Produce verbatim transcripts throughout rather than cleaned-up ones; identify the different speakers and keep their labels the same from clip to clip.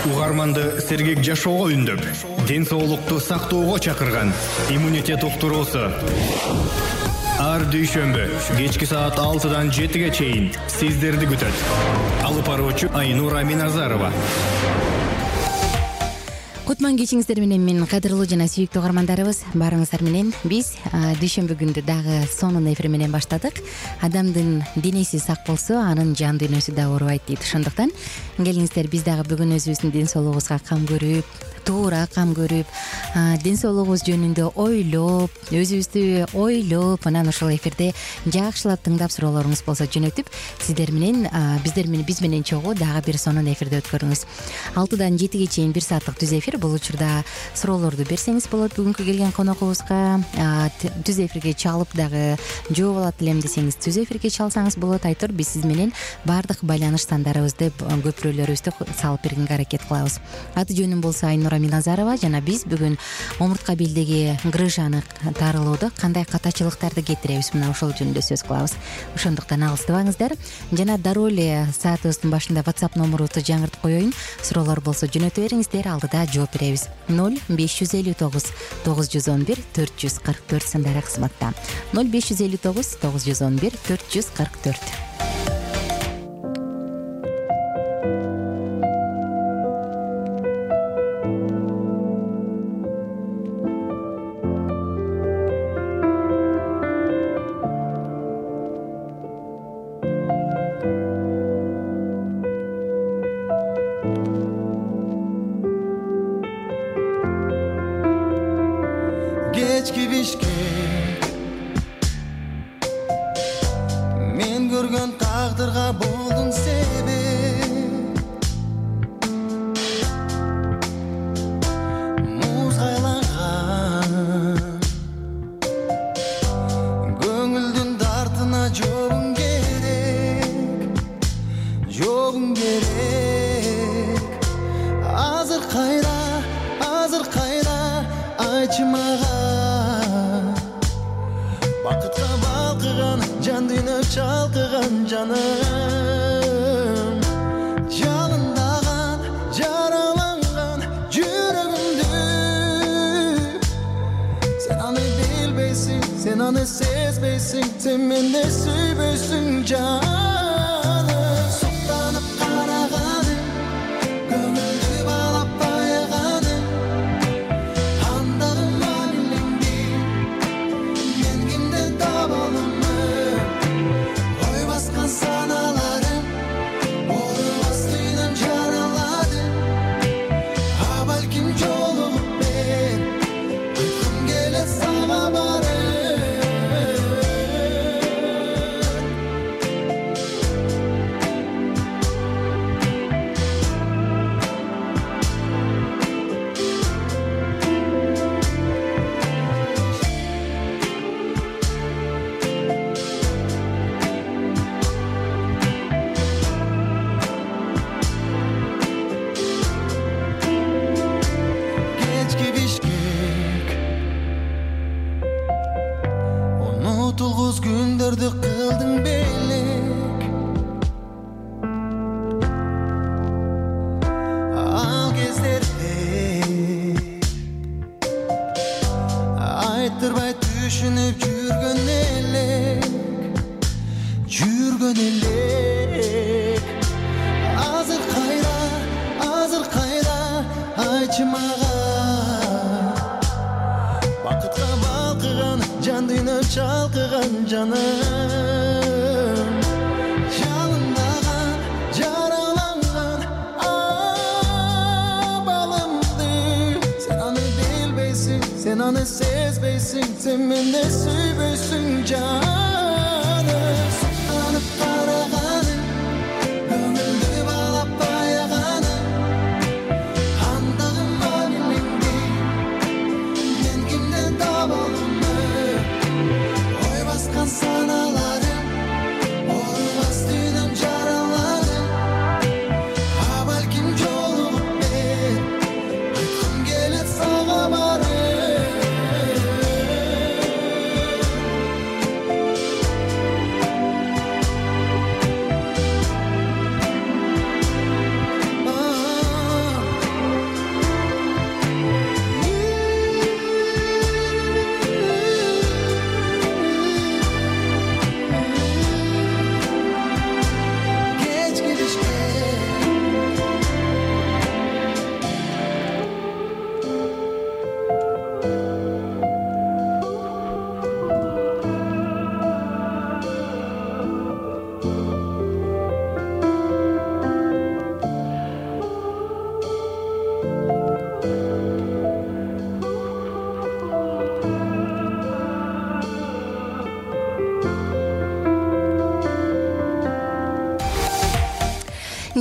Speaker 1: Угарманды сергек жашоого үндөп, ден соолукту сактоого чакырган иммунитет уктуруусу. Ар дүйшөмбү кечки саат алтыдан жетиге чейин сиздерди күтөт. Алып баруучу Айнура Миназарова.
Speaker 2: Кутман кечиңиздер менен мен кадырлуу жана сүйүктүү угармандарыбыз, баарыңыздар менен биз дүйшөмбү күндү дагы сонун эфир менен баштадык. Адамдын денеси сак болсо, анын жан дүйнөсү да оорубайт дейт. Ошондуктан келиңиздер биз дагы бүгүн өзүбүздүн ден соолугубузга кам көрүп, туура кам көрүп, ден соолугубуз жөнүндө ойлоп, өзүбүздү ойлоп, анан ошол эфирде жакшылап тыңдап суроолоруңуз болсо жөнөтүп, сиздер менен биздер менен биз менен чогуу дагы бир сонун эфирди өткөрүңүз. алтыдан жетиге чейин бир сааттык түз эфир. Бул учурда суроолорду берсеңиз болот. Бүгүнкү келген коногубузга түз эфирге чалып дагы жооп алат элем десеңиз, түз эфирге чалсаңыз болот. Айтор биз сиз менен баардык байланыш сандарыбызды, көпүрөлөрүбүздү салып бергенге аракет кылабыз. Аты жөнүм болсо Айнура Миназарова, жана биз бүгүн омуртка белдеги грыжаны тарылууду кандай катачылыктарды кетиребиз, мына ошол жөнүндө сөз кылабыз. Ошондуктан алыстабаңыздар. Жана дароо эле саатыбыздын башында WhatsApp номурубузду жаңыртып коеюн. Суроолор болсо жөнөтө бериңиздер, алдыда жооп беребиз. ноль беш жүз элүү тогуз тогуз жүз он бир төрт жүз кырк төрт сандары кызматта. ноль беш жүз элүү тогуз тогуз жүз он бир төрт жүз кырк төрт.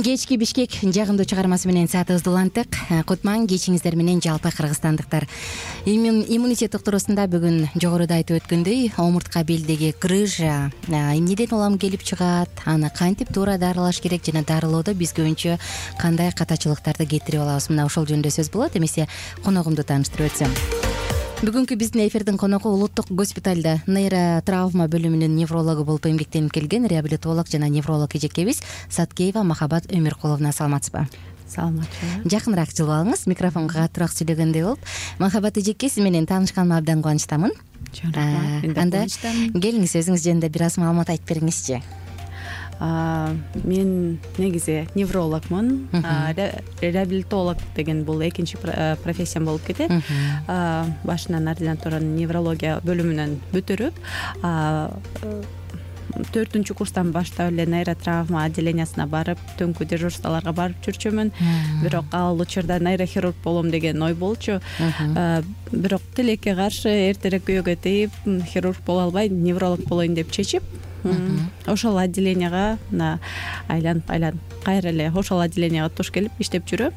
Speaker 2: кечки Бишкек жагымдуу чыгармасы менен саатыбызды уланттык. Кутман кечиңиздер менен жалпы кыргызстандыктар. Иммунитет доктурусунда бүгүн жогоруда айтып өткөндөй, омуртка белдеги грыжа эмнеден улам келип чыгат, аны кантип туура дарылаш керек жана дарылоодо биз көбүнчө кандай катачылыктарды кетирип алабыз, мына ошол жөнүндө сөз болот. Эмесе коногумду тааныштырып өтсөм. Бүгүнкү биздин эфирдин коногу улуттук госпиталда нейротравма бөлүмүнүн неврологу болуп эмгектенип келген реабилитолог жана невролог эжекебиз Саткеева Махабат Өмүркуловна. Саламатсызбы?
Speaker 3: Саламатчы.
Speaker 2: Жакыныраак жылып алыңыз, микрофонго катуураак сөйлөгөндөй болуп. Махабат эжеке, сиз менен таанышканыма абдан кубанычтамын. Анда келиңиз, өзүңүз жөнүндө бир аз маалымат айтып бериңизчи.
Speaker 3: Мен негизи неврологмун, реабилитолог деген бул экинчи профессиям болуп кетет. Башынан ординатураны неврология бөлүмүнөн бүтүрүп, төртүнчү курстан баштап эле нейротравма отделениясына барып, түнкү дежурстволорго барып жүрчүмүн. Бирок ал учурда нейрохирург болом деген ой болчу. Бирок тилекке каршы эртерээк күйөөгө тийип, хирург боло албай, невролог болоюн деп чечип, ошол отделенияга мына айланып айланып кайра эле ошол отделенияга туш келип иштеп жүрөм.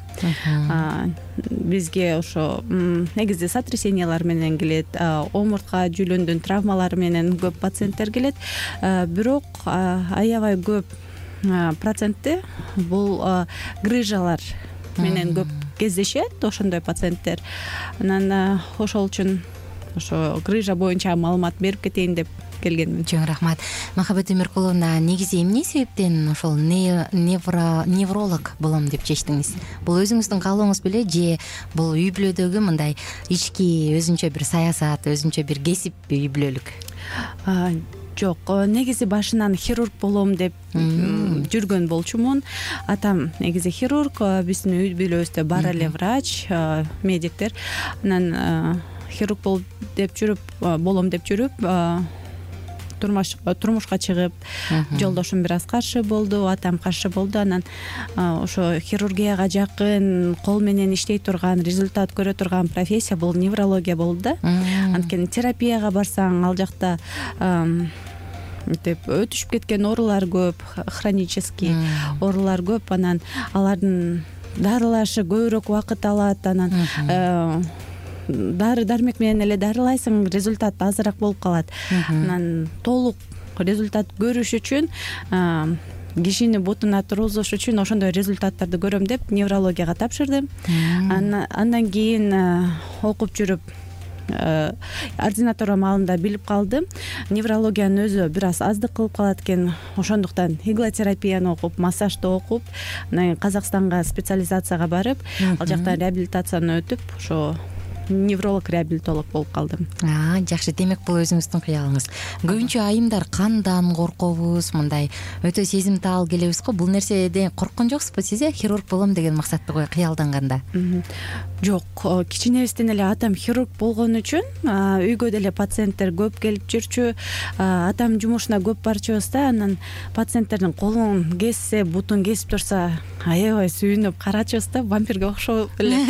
Speaker 3: Бизге ошо негизи сотрясениялар менен келет, омуртка жүлүндүн травмалары менен көп пациенттер келет. Бирок аябай көп проценти бул грыжалар менен көп кездешет ошондой пациенттер. Анан ошол үчүн ошо грыжа боюнча маалымат берип кетейин деп келгенмин.
Speaker 2: Жөн рахмат. Махабат Өмүркуловна, негизи эмне себептен ошол невролог болом деп чечтиңиз? Бул өзүңүздүн каалооңуз беле же бул үй бүлөдөгү мындай ички өзүнчө бир саясат, өзүнчө бир кесип үй бүлөлүк?
Speaker 3: Жок, негизи башынан хирург болом деп жүргөн болчумун. Атам негизи хирург, биздин үй бүлөбүздө бар эле врач, медиктер. Анан хирург болуп деп жүрүп, болом деп жүрүп, турмушка чыгып, жолдошум бир аз каршы болду, атам каршы болду. Анан ошо хирургияга жакын, кол менен иштей турган, результат көрө турган профессия бул неврология болду да. Анткени терапияга барсаң, ал жакта деп өтүшүп кеткен оорулар көп, хронический оорулар көп. Анан алардын дарылашы көбүрөөк убакыт алат. Анан дары дармек менен эле дарылайсың, результат азыраак болуп калат. Анан толук результат көрүш үчүн, кишини бутуна тургузуш үчүн ошондой результаттарды көрөм деп неврологияга тапшырдым. Андан кийин окуп жүрүп, ординатура маалында билип калдым, неврологиянын өзү бир аз аздык кылып калат экен. Ошондуктан иглотерапияны окуп, массажды окуп, анан Казакстанга специализацияга барып, ал жактан реабилитацияны өтүп, ошо невролог реабилитолог болуп калдым.
Speaker 2: Жакшы, демек бул өзүңүздүн кыялыңыз. Көбүнчө айымдар кандан коркобуз, мындай өтө сезимтал келебиз го. Бул нерседен корккон жоксузбу сиз? Хирург болом деген максатты кой кыялданганда?
Speaker 3: Жок, кичинебизден эле атам хирург болгон үчүн үйгө деле пациенттер көп келип жүрчү. Атам жумушуна көп барчубыз да, анан пациенттердин колун кессе, бутун кесип турса, аябай сүйүнүп карачубыз да, вампирге окшоп эле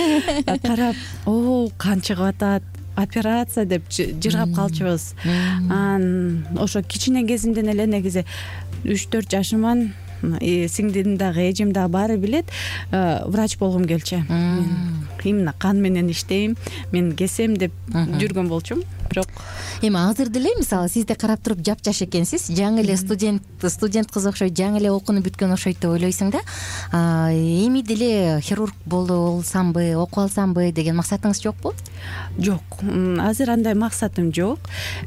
Speaker 3: карап, о, кан чыгып атат, операция деп жыргап калчубуз. Анан ошо кичине кезимден эле негизи үч төрт жашыман, сиңдим дагы, эжем дагы баары билет, врач болгум келчү. Именно кан менен иштейм, мен кесем деп жүргөн болчумун. Бирок
Speaker 2: эми азыр деле мисалы сизди карап туруп жапжаш экенсиз, жаңы эле студент студент кыз окшойт, жаңы эле окууну бүткөн окшойт деп ойлойсуң да. Эми деле хирург болсамбы, окуп алсамбы деген максатыңыз жокпу?
Speaker 3: Жок, азыр андай максатым жок.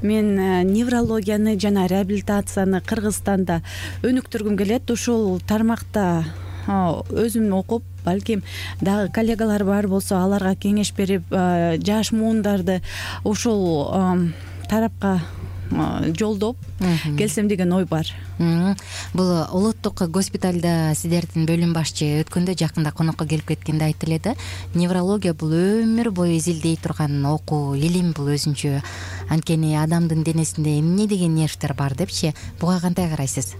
Speaker 3: Мен неврологияны жана реабилитацияны Кыргызстанда өнүктүргүм келет. Ушул тармакта өзүм окуп, балким дагы коллегалар бар болсо, аларга кеңеш берип, жаш муундарды ушул тарапка жолдоп келсем деген ой бар.
Speaker 2: Бул улуттук госпиталда сиздердин бөлүм башчы өткөндө жакында конокко келип кеткенде айтты эле да, неврология бул өмүр бою изилдей турган окуу, илим бул өзүнчө. Анткени адамдын денесинде эмне деген нервтер бар депчи. Буга кандай карайсыз?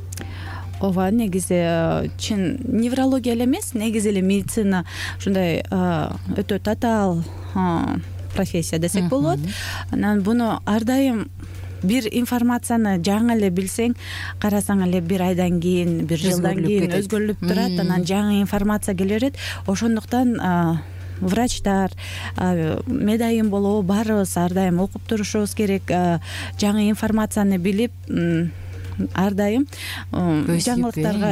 Speaker 3: Ооба, негизи чын неврология эле эмес, негизи эле медицина ушундай өтө татаал профессия десек болот. Анан буну ар дайым бир информацияны жаңы эле билсең, карасаң эле бир айдан кийин, бир жылдан кийин өзгөрүлүп турат, анан жаңы информация келе берет. Ошондуктан врачтар, медайым болобу баарыбыз ар дайым окуп турушубуз керек, жаңы информацияны билип ар дайым жаңылыктарга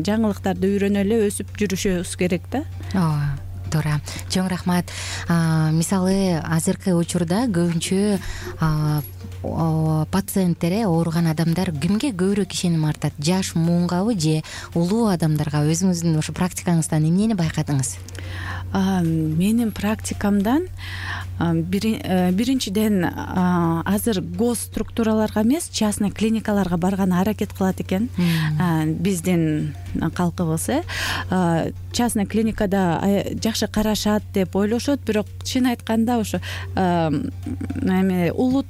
Speaker 3: жаңылыктарды үйрөнө эле өсүп жүрүшүбүз керек да.
Speaker 2: ооба, туура. Чоң рахмат. Мисалы азыркы учурда көбүнчө пациенттер, ооруган адамдар кимге көбүрөөк ишеним артат? Жаш муунгабы же улуу адамдарга? Өзүңүздүн ошо практикаңыздан эмнени байкадыңыз?
Speaker 3: Менин практикамдан биринчиден азыр гос структураларга эмес, частный клиникаларга барганы аракет кылат экен биздин калкыбыз. э частный клиникада жакшы карашат деп ойлошот, бирок чын айтканда ошо эме улуу,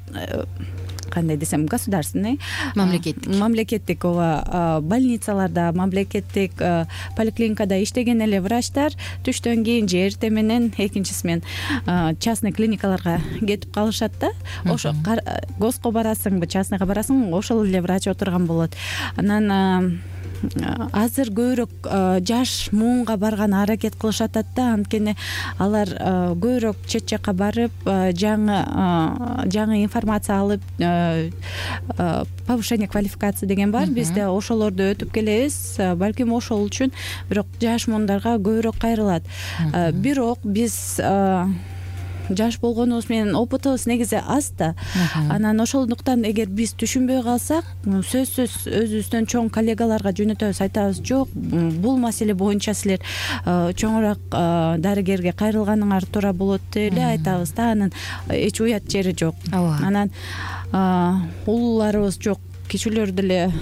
Speaker 3: кандай десем, государственный,
Speaker 2: мамлекеттик
Speaker 3: мамлекеттик ооба больницаларда, мамлекеттик поликлиникада иштеген эле врачтар түштөн кийин же эртең менен экинчиси менен частный клиникаларга кетип калышат да. Ошо госко барасыңбы, частныйга барасың, ошол эле врач отурган болот. Анан азыр көбүрөөк жаш муунга барганы аракет кылышат да, анткени алар көбүрөөк чет жакка барып, жаңы жаңы информация алып, повышение квалификации деген бар бизде, ошолорду өтүп келебиз. Балким ошол үчүн бирок жаш муундарга көбүрөөк кайрылат. Бирок биз жаш болгонубуз менен опытыбыз негизи аз да. Анан ошондуктан эгер биз түшүнбөй калсак, сөзсүз өзүбүздөн чоң коллегаларга жөнөтөбүз, айтабыз, жок, бул маселе боюнча силер чоңураак дарыгерге кайрылганыңар туура болот деп эле айтабыз да. Анан эч уят жери жок. Анан улууларыбыз жок, кичүүлөр деле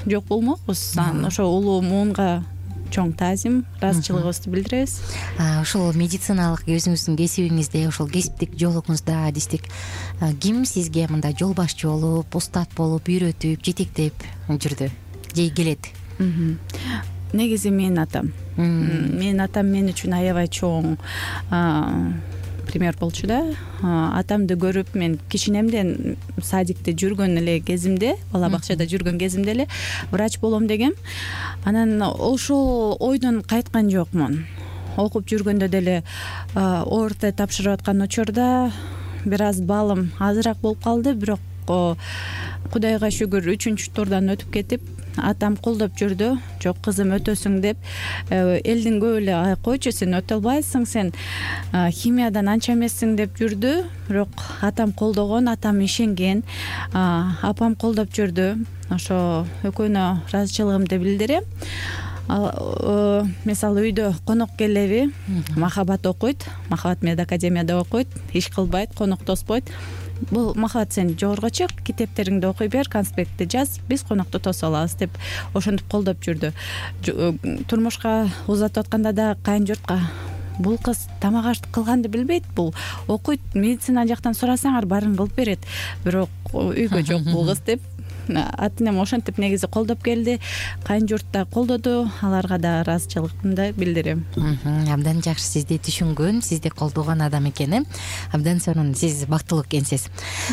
Speaker 3: жок болмокпуз. Анан ошо улуу муунга чоң таазим, ыраазычылыгыбызды билдиребиз.
Speaker 2: Ошол медициналык өзүңүздүн кесибиңизде, ошол кесиптик жолуңузда адистик ким сизге мындай жол башчы болуп, устат болуп, үйрөтүп, жетектеп жүрдү же келет?
Speaker 3: Негизи менин атам. Менин атам мен үчүн аябай чоң пример болчу да. Атамды көрүп мен кичинемден садикте жүргөн эле кезимде, бала бакчада жүргөн кезимде эле врач болом дегем. Анан ошол ойдон кайткан жокмун. Окуп жүргөндө деле орто тапшырып аткан учурда бир аз балым азыраак болуп калды, бирок Кудайга шүгүр үчүнчү турдан өтүп кетип, атам колдоп жүрдү. Жок кызым, өтөсүң деп. Элдин көп эле койчу, сен өтө албайсың, сен химиядан анча эмессиң деп жүрдү. Бирок атам колдогон, атам ишенген, апам колдоп жүрдү. Ошо экөөнө ыраазычылыгымды билдирем. Мисалы үйдө конок келеби, Махабат окуйт, Махабат медакадемияда окуйт, иш кылбайт, конок тоспойт. Бул Махабат, сен жогорго чык, китептериңди окуй бер, конспектти жаз, биз конокту тосуп алабыз деп ошентип колдоп жүрдү. Турмушка узатып атканда да кайын журтка, бул кыз тамак аш кылганды билбейт, бул окуйт, медицина жактан сурасаңар баарын кылып берет, бирок үйгө жок бул кыз деп атынем ошентип негизи колдоп келди. Кайын журт да колдоду, аларга да ыраазычылыгымды билдирем.
Speaker 2: Абдан жакшы, сизди түшүнгөн, сизди колдогон адам экен. Абдан сонун, сиз бактылуу экенсиз.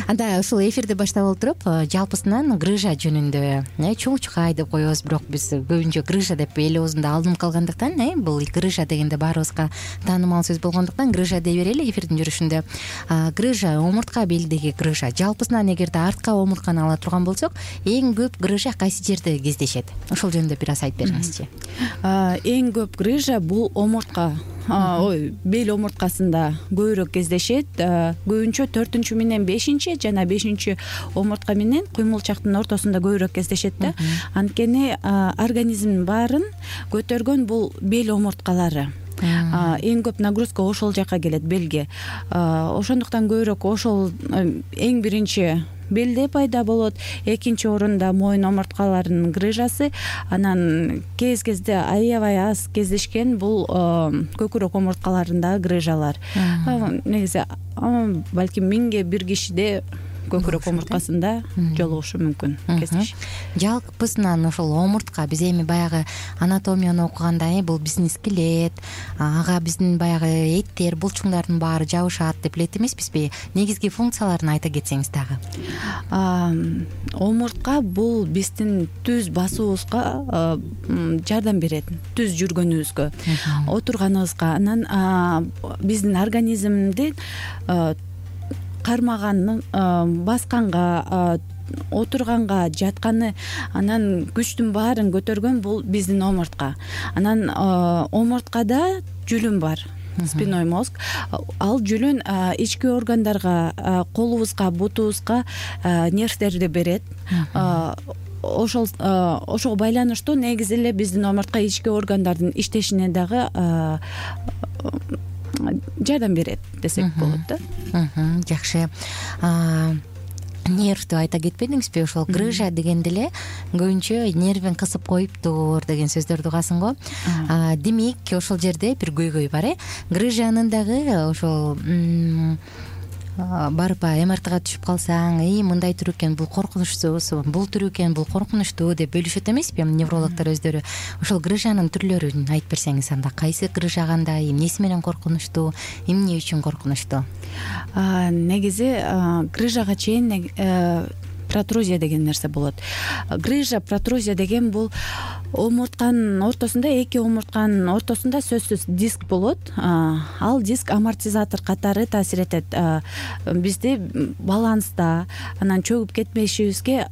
Speaker 2: Анда ушул эфирди баштап олтуруп, жалпысынан грыжа жөнүндө чоңчукай деп коебуз, бирок биз көбүнчө грыжа деп эл оозунда алынып калгандыктан, бул грыжа дегенде баарыбызга таанымал сөз болгондуктан грыжа дей берели эфирдин жүрүшүндө. Грыжа, омуртка белдеги грыжа. Жалпысынан эгерде артка омуртканы ала турган болсок, эң көп грыжа кайсы жерде кездешет? Ошол жөнүндө бир аз айтып бериңизчи.
Speaker 3: Эң көп грыжа бул омуртка, ой, бел омурткасында көбүрөөк кездешет. Көбүнчө төртүнчү менен бешинчи жана бешинчи омуртка менен куймулчактын ортосунда көбүрөөк кездешет да. Анткени организмдин баарын көтөргөн бул бел омурткалары. Эң көп нагрузка ошол жака келет, белге. Ошондуктан көбүрөөк ошол эң биринчи белде пайда болот. Экинчи орунда моюн омурткаларынын грыжасы, анан кез-кезде аябай аз кездешкен бул көкүрөк омурткаларындагы грыжалар. Негизи балким миңге бир кишиде көкүрөк омурткасында жолугушу мүмкүн кесиш.
Speaker 2: Жалпысынан ошол омуртка биз эми баягы анатомияны окуганда бул биздин скелет, ага биздин баягы эттер, булчуңдардын баары жабышат деп элет эмеспизби? Негизги функцияларын айта кетсеңиз дагы.
Speaker 3: Омуртка бул биздин түз басуубузга жардам берет, түз жүргөнүбүзгө, отурганыбызга. Анан биздин организмди кармаганын, басканга, отурганга, жатканы, анан күчтүн баарын көтөргөн бул биздин омуртка. Анан омурткада жүлүн бар, спинной мозг. Ал жүлүн ички органдарга, колубузга, бутубузга нервтерди берет. Ошол ошого байланыштуу негизи эле биздин омуртка ички органдардын иштешине дагы жардам берет десек болот да.
Speaker 2: Жакшы. Нервди айта кетпедиңизби? Ошол грыжа дегенде эле көбүнчө нервин кысып коюптур деген сөздөрдү угасың го. Демек, ошол жерде бир көйгөй бар, э? Грыжанын дагы ошол барып эм эр тга түшүп калсаң, эй мындай түрү экен, бул коркунучсуз, бул түрү экен, бул коркунучтуу деп бөлүшөт эмеспи неврологдор өздөрү? Ошол грыжанын түрлөрүн айтып берсеңиз, анда кайсы грыжа кандай, эмнеси менен коркунучтуу, эмне үчүн коркунучтуу?
Speaker 3: Негизи грыжага чейин протрузия деген нерсе болот. Грыжа, протрузия деген бул омуртканын ортосунда, эки омуртканын ортосунда сөзсүз диск болот. Ал диск амортизатор катары таасир этет бизди баланста, анан чөгүп кетмешибизге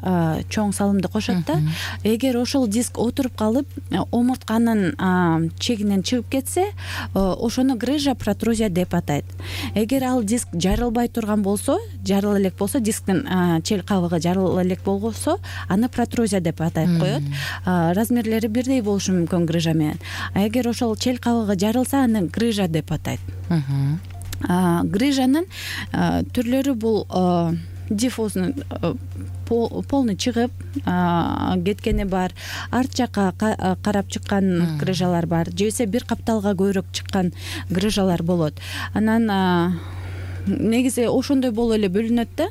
Speaker 3: чоң салымды кошот да. Эгер ошол диск отуруп калып, омуртканын чегинен чыгып кетсе, ошону грыжа, протрузия деп атайт. Эгер ал диск жарылбай турган болсо, жарыла элек болсо, дисктин чел кабыгы жарыла элек болсо, аны протрузия деп атайт коет. Размер бирдей болушу мүмкүн грыжа менен. А эгер ошол чел кабыгы жарылса, аны грыжа деп атайт. Грыжанын түрлөрү бул диффузный, полный чыгып кеткени бар, арт жакка карап чыккан грыжалар бар, же болбосо бир капталга көбүрөөк чыккан грыжалар болот. Анан негизи ошондой болуп эле бөлүнөт да.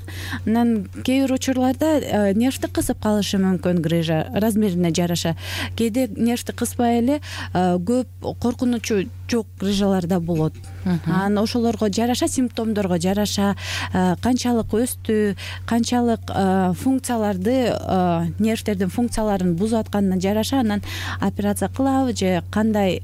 Speaker 3: Анан кээ бир учурларда нервти кысып калышы мүмкүн грыжа, размерине жараша. Кээде нервти кыспай эле көп коркунучу жок грыжалар да болот. Анан ошолорго жараша, симптомдорго жараша, канчалык өстү, канчалык функцияларды, нервтердин функцияларын бузуп атканына жараша анан операция кылабы же кандай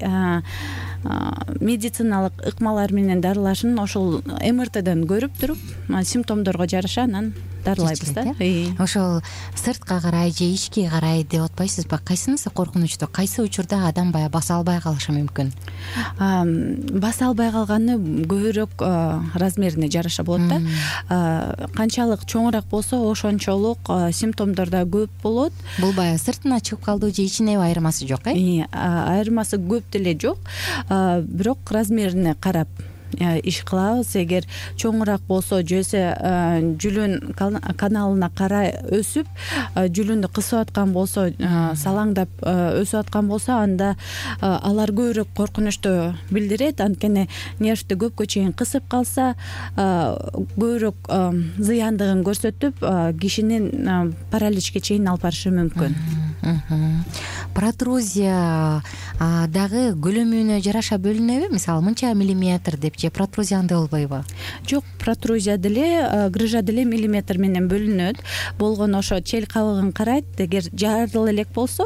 Speaker 3: медициналык ыкмалар менен дарылашын ошол эм эр тэден көрүп туруп, симптомдорго жараша анан дарылайбыз да.
Speaker 2: Ошол сыртка карай же ички карай деп атпайсызбы? Кайсынысы коркунучтуу? Кайсы учурда адам баягы баса албай калышы мүмкүн?
Speaker 3: Баса албай калганы көбүрөөк размерине жараша болот да. Канчалык чоңураак болсо, ошончолук симптомдор да көп болот.
Speaker 2: Бул баягы сыртына чыгып калды же ичине айырмасы жок, э?
Speaker 3: Айырмасы көп деле жок. Бирок размерине карап иш кылабыз. Эгер чоңураак болсо, же болбосо жүлүн каналына карай өсүп, жүлүндү кысып аткан болсо, салаңдап өсүп аткан болсо, анда алар көбүрөөк коркунучту билдирет. Анткени нервти көпкө чейин кысып калса, көбүрөөк зыяндыгын көрсөтүп, кишинин параличке чейин алып барышы мүмкүн.
Speaker 2: Протрузия дагы көлөмүнө жараша бөлүнөбү? Мисалы, мынча миллиметр деп же протрузия андай болбойбу?
Speaker 3: Жок, протрузия деле, грыжа деле миллиметр менен бөлүнөт. Болгону ошо чел кабыгын карайт. Эгер жарыла элек болсо,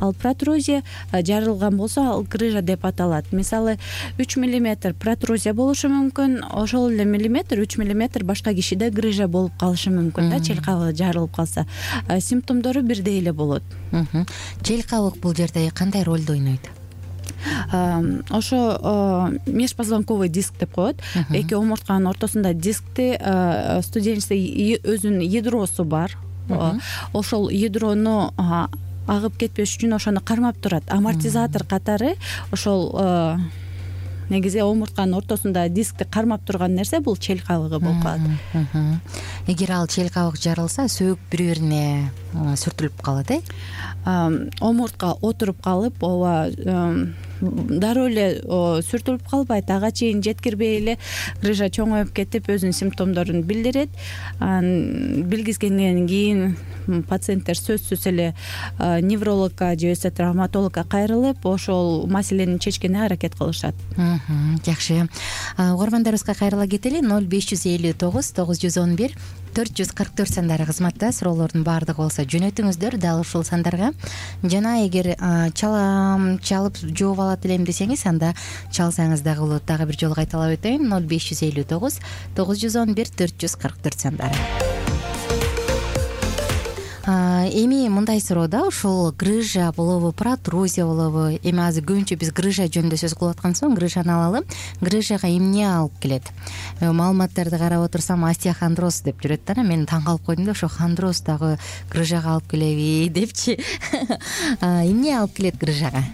Speaker 3: ал протрузия, жарылган болсо, ал грыжа деп аталат. Мисалы, үч миллиметр протрузия болушу мүмкүн, ошол эле миллиметр, үч миллиметр башка кишиде грыжа болуп калышы мүмкүн да, чел кабыгы жарылып калса. Симптомдору бирдей эле болот.
Speaker 2: Чел кабык бул жерде кандай ролду ойнойт?
Speaker 3: Ошо межпозвонковый диск деп коет. Эки омуртканын ортосунда дискти, студенческий өзүнүн ядросу бар. Ошол ядрону агып кетпеш үчүн ошону кармап турат. Амортизатор катары ошол негизи омуртканын ортосунда дискти кармап турган нерсе бул чел кабыгы болуп калат.
Speaker 2: Эгер ал чел кабык жарылса, сөөк бири-бирине сүртүлүп калат, э?
Speaker 3: Омуртка отуруп калып, ооба дароо эле сүртүлүп калбайт, ага чейин жеткирбей эле грыжа чоңоюп кетип өзүнүн симптомдорун билдирет. Анан билгизгенден кийин пациенттер сөзсүз эле неврологко же болбосо травматологко кайрылып ошол маселени чечкенге аракет кылышат.
Speaker 2: Жакшы. Угармандарыбызга кайрыла кетели. ноль беш жүз элүү тогуз тогуз жүз он бир төрт жүз кырк төрт сандары кызматта. Суроолордун баардыгы болсо жөнөтүңүздөр дал ушул сандарга. Жана эгер чалам чалып жооп алат элем десеңиз, анда чалсаңыз дагы болот. Дагы бир жолу кайталап өтөйүн. ноль беш жүз элүү тогуз тогуз жүз он бир төрт жүз кырк төрт сандары. Эми мындай суроо да, ушул грыжа болобу, протрузия болобу? Эми азыр көбүнчө биз грыжа жөнүндө сөз кылып аткан соң грыжаны алалы. Грыжага эмне алып келет? Маалыматтарды карап отурсам остеохондроз деп жүрөт да. Мен таң калып койдум да, ошо хондроз дагы грыжага алып келеби депчи. Эмне алып келет грыжага?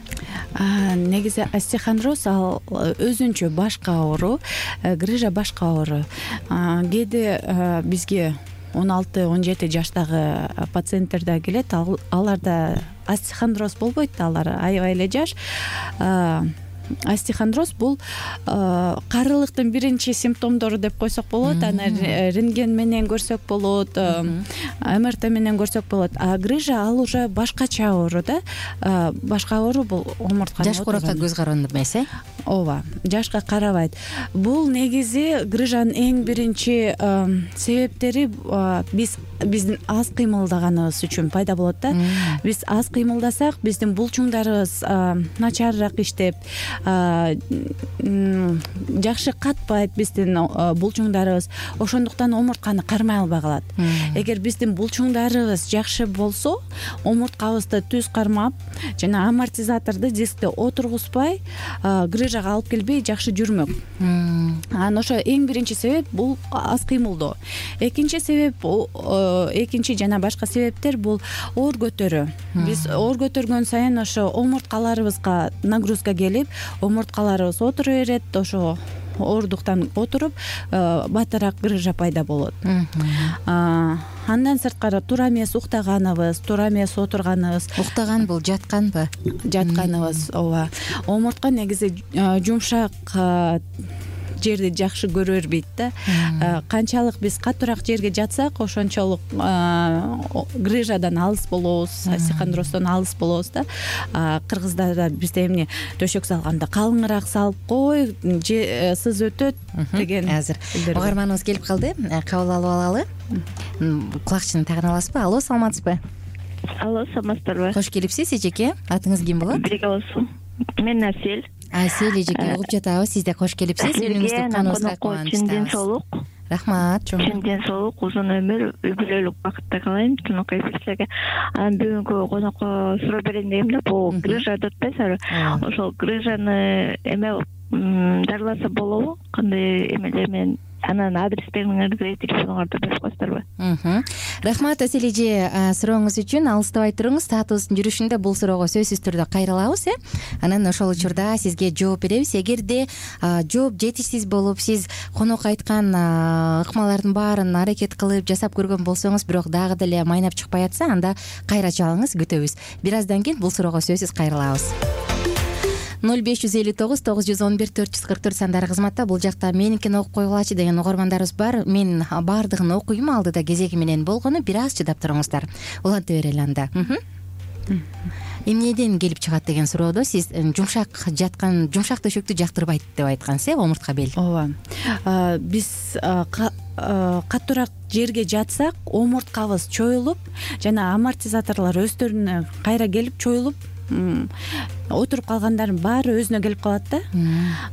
Speaker 3: Негизи остеохондроз ал өзүнчө башка оору, грыжа башка оору. Кээде бизге он алты он жети жаштагы пациенттер да келет, аларда остеохондроз болбойт да, алар аябай эле жаш. Остеохондроз бул карылыктын биринчи симптомдору деп койсок болот. Аны рентген менен көрсөк болот, эм эр тэ менен көрсөк болот. А грыжа ал уже башкача оору да. Башка оору бул омуртканы
Speaker 2: жаш куракка көз каранды эмес, э?
Speaker 3: Ооба, жашка карабайт. Бул негизи грыжанын эң биринчи себептери биз биздин аз кыймылдаганыбыз үчүн пайда болот да. Биз аз кыймылдасак, биздин булчуңдарыбыз начарыраак иштеп, жакшы катпайт биздин булчуңдарыбыз. Ошондуктан омуртканы кармай албай калат. Эгер биздин булчуңдарыбыз жакшы болсо, омурткабызды түз кармап, жана амортизаторду дискте отургузбай, грыжага алып келбей жакшы жүрмөк. Анан ошо эң биринчи себеп бул аз кыймылдоо. Экинчи себеп, экинчи жана башка себептер бул оор көтөрүү. Биз оор көтөргөн сайын ошо омурткаларыбызга нагрузка келип, омурткаларыбыз отура берет, ошо оордуктан отуруп, батыраак грыжа пайда болот. Андан сырткары туура эмес уктаганыбыз, туура эмес отурганыбыз.
Speaker 2: Уктаган бул жатканбы?
Speaker 3: Жатканыбыз, ооба. Омуртка негизи жумшак жерди жакшы көрө бербейт да. Канчалык биз катуураак жерге жатсак, ошончолук грыжадан алыс болобуз, остеохондроздон алыс болобуз да. Кыргыздарда бизде эмне төшөк салганда калыңыраак салып кой, сыз өтөт деген.
Speaker 2: Азыр угарманыбыз келип калды. Кабыл алып алалы. Кулакчыны тагын аласызбы? Алло, саламатсызбы?
Speaker 4: Алло, саламатсыздарбы?
Speaker 2: Кош келипсиз, эжеке. Атыңыз ким болот?
Speaker 4: Бириге болсун. Мен Асель.
Speaker 2: Асель эжеке, угуп жатабыз. Сиз да кош келипсиз. Үнүңүздү каныбызга кубанычтабыз.
Speaker 4: Чын ден соолук.
Speaker 2: Рахмат.
Speaker 4: Чын ден соолук, узун өмүр, үй бүлөлүк бакытта каалайм. Тунукай эфирчилерге. Анан бүгүнкү конокко суроо берейин дегем да, бул грыжа деп атпайсызбы? Ошол грыжаны эме дарыласа болобу? Кандай эмелер менен? Анан адрестериңерди, телефоноңорду берип коесуздарбы?
Speaker 2: Рахмат Асель эже, сурооңуз үчүн. Алыстабай туруңуз. Саатыбыздын жүрүшүндө бул суроого сөзсүз түрдө кайрылабыз, э? Анан ошол учурда сизге жооп беребиз. Эгерде жооп жетишсиз болуп, сиз конок айткан ыкмалардын баарын аракет кылып жасап көргөн болсоңуз, бирок дагы деле майнап чыкпай атса, анда кайра чалыңыз, күтөбүз. Бир аздан кийин бул суроого сөзсүз кайрылабыз. ноль беш жүз элүү тогуз тогуз жүз он бир төрт жүз кырк төрт сандары кызматта. Бул жакта меникин окуп койгулачы деген угармандарыбыз бар. Мен баардыгын окуйм, алдыда кезеги менен болгону. Бир аз чыдап туруңуздар. Уланта берели анда. Эмнеден келип чыгат деген суроодо сиз жумшак жаткан, жумшак төшөктү жактырбайт деп айткансыз, э, омуртка бел.
Speaker 3: Ооба. Биз катуураак жерге жатсак, омурткабыз чоюлуп, жана амортизаторлор өздөрүнө кайра келип чоюлуп, отуруп калгандардын баары өзүнө келип калат да.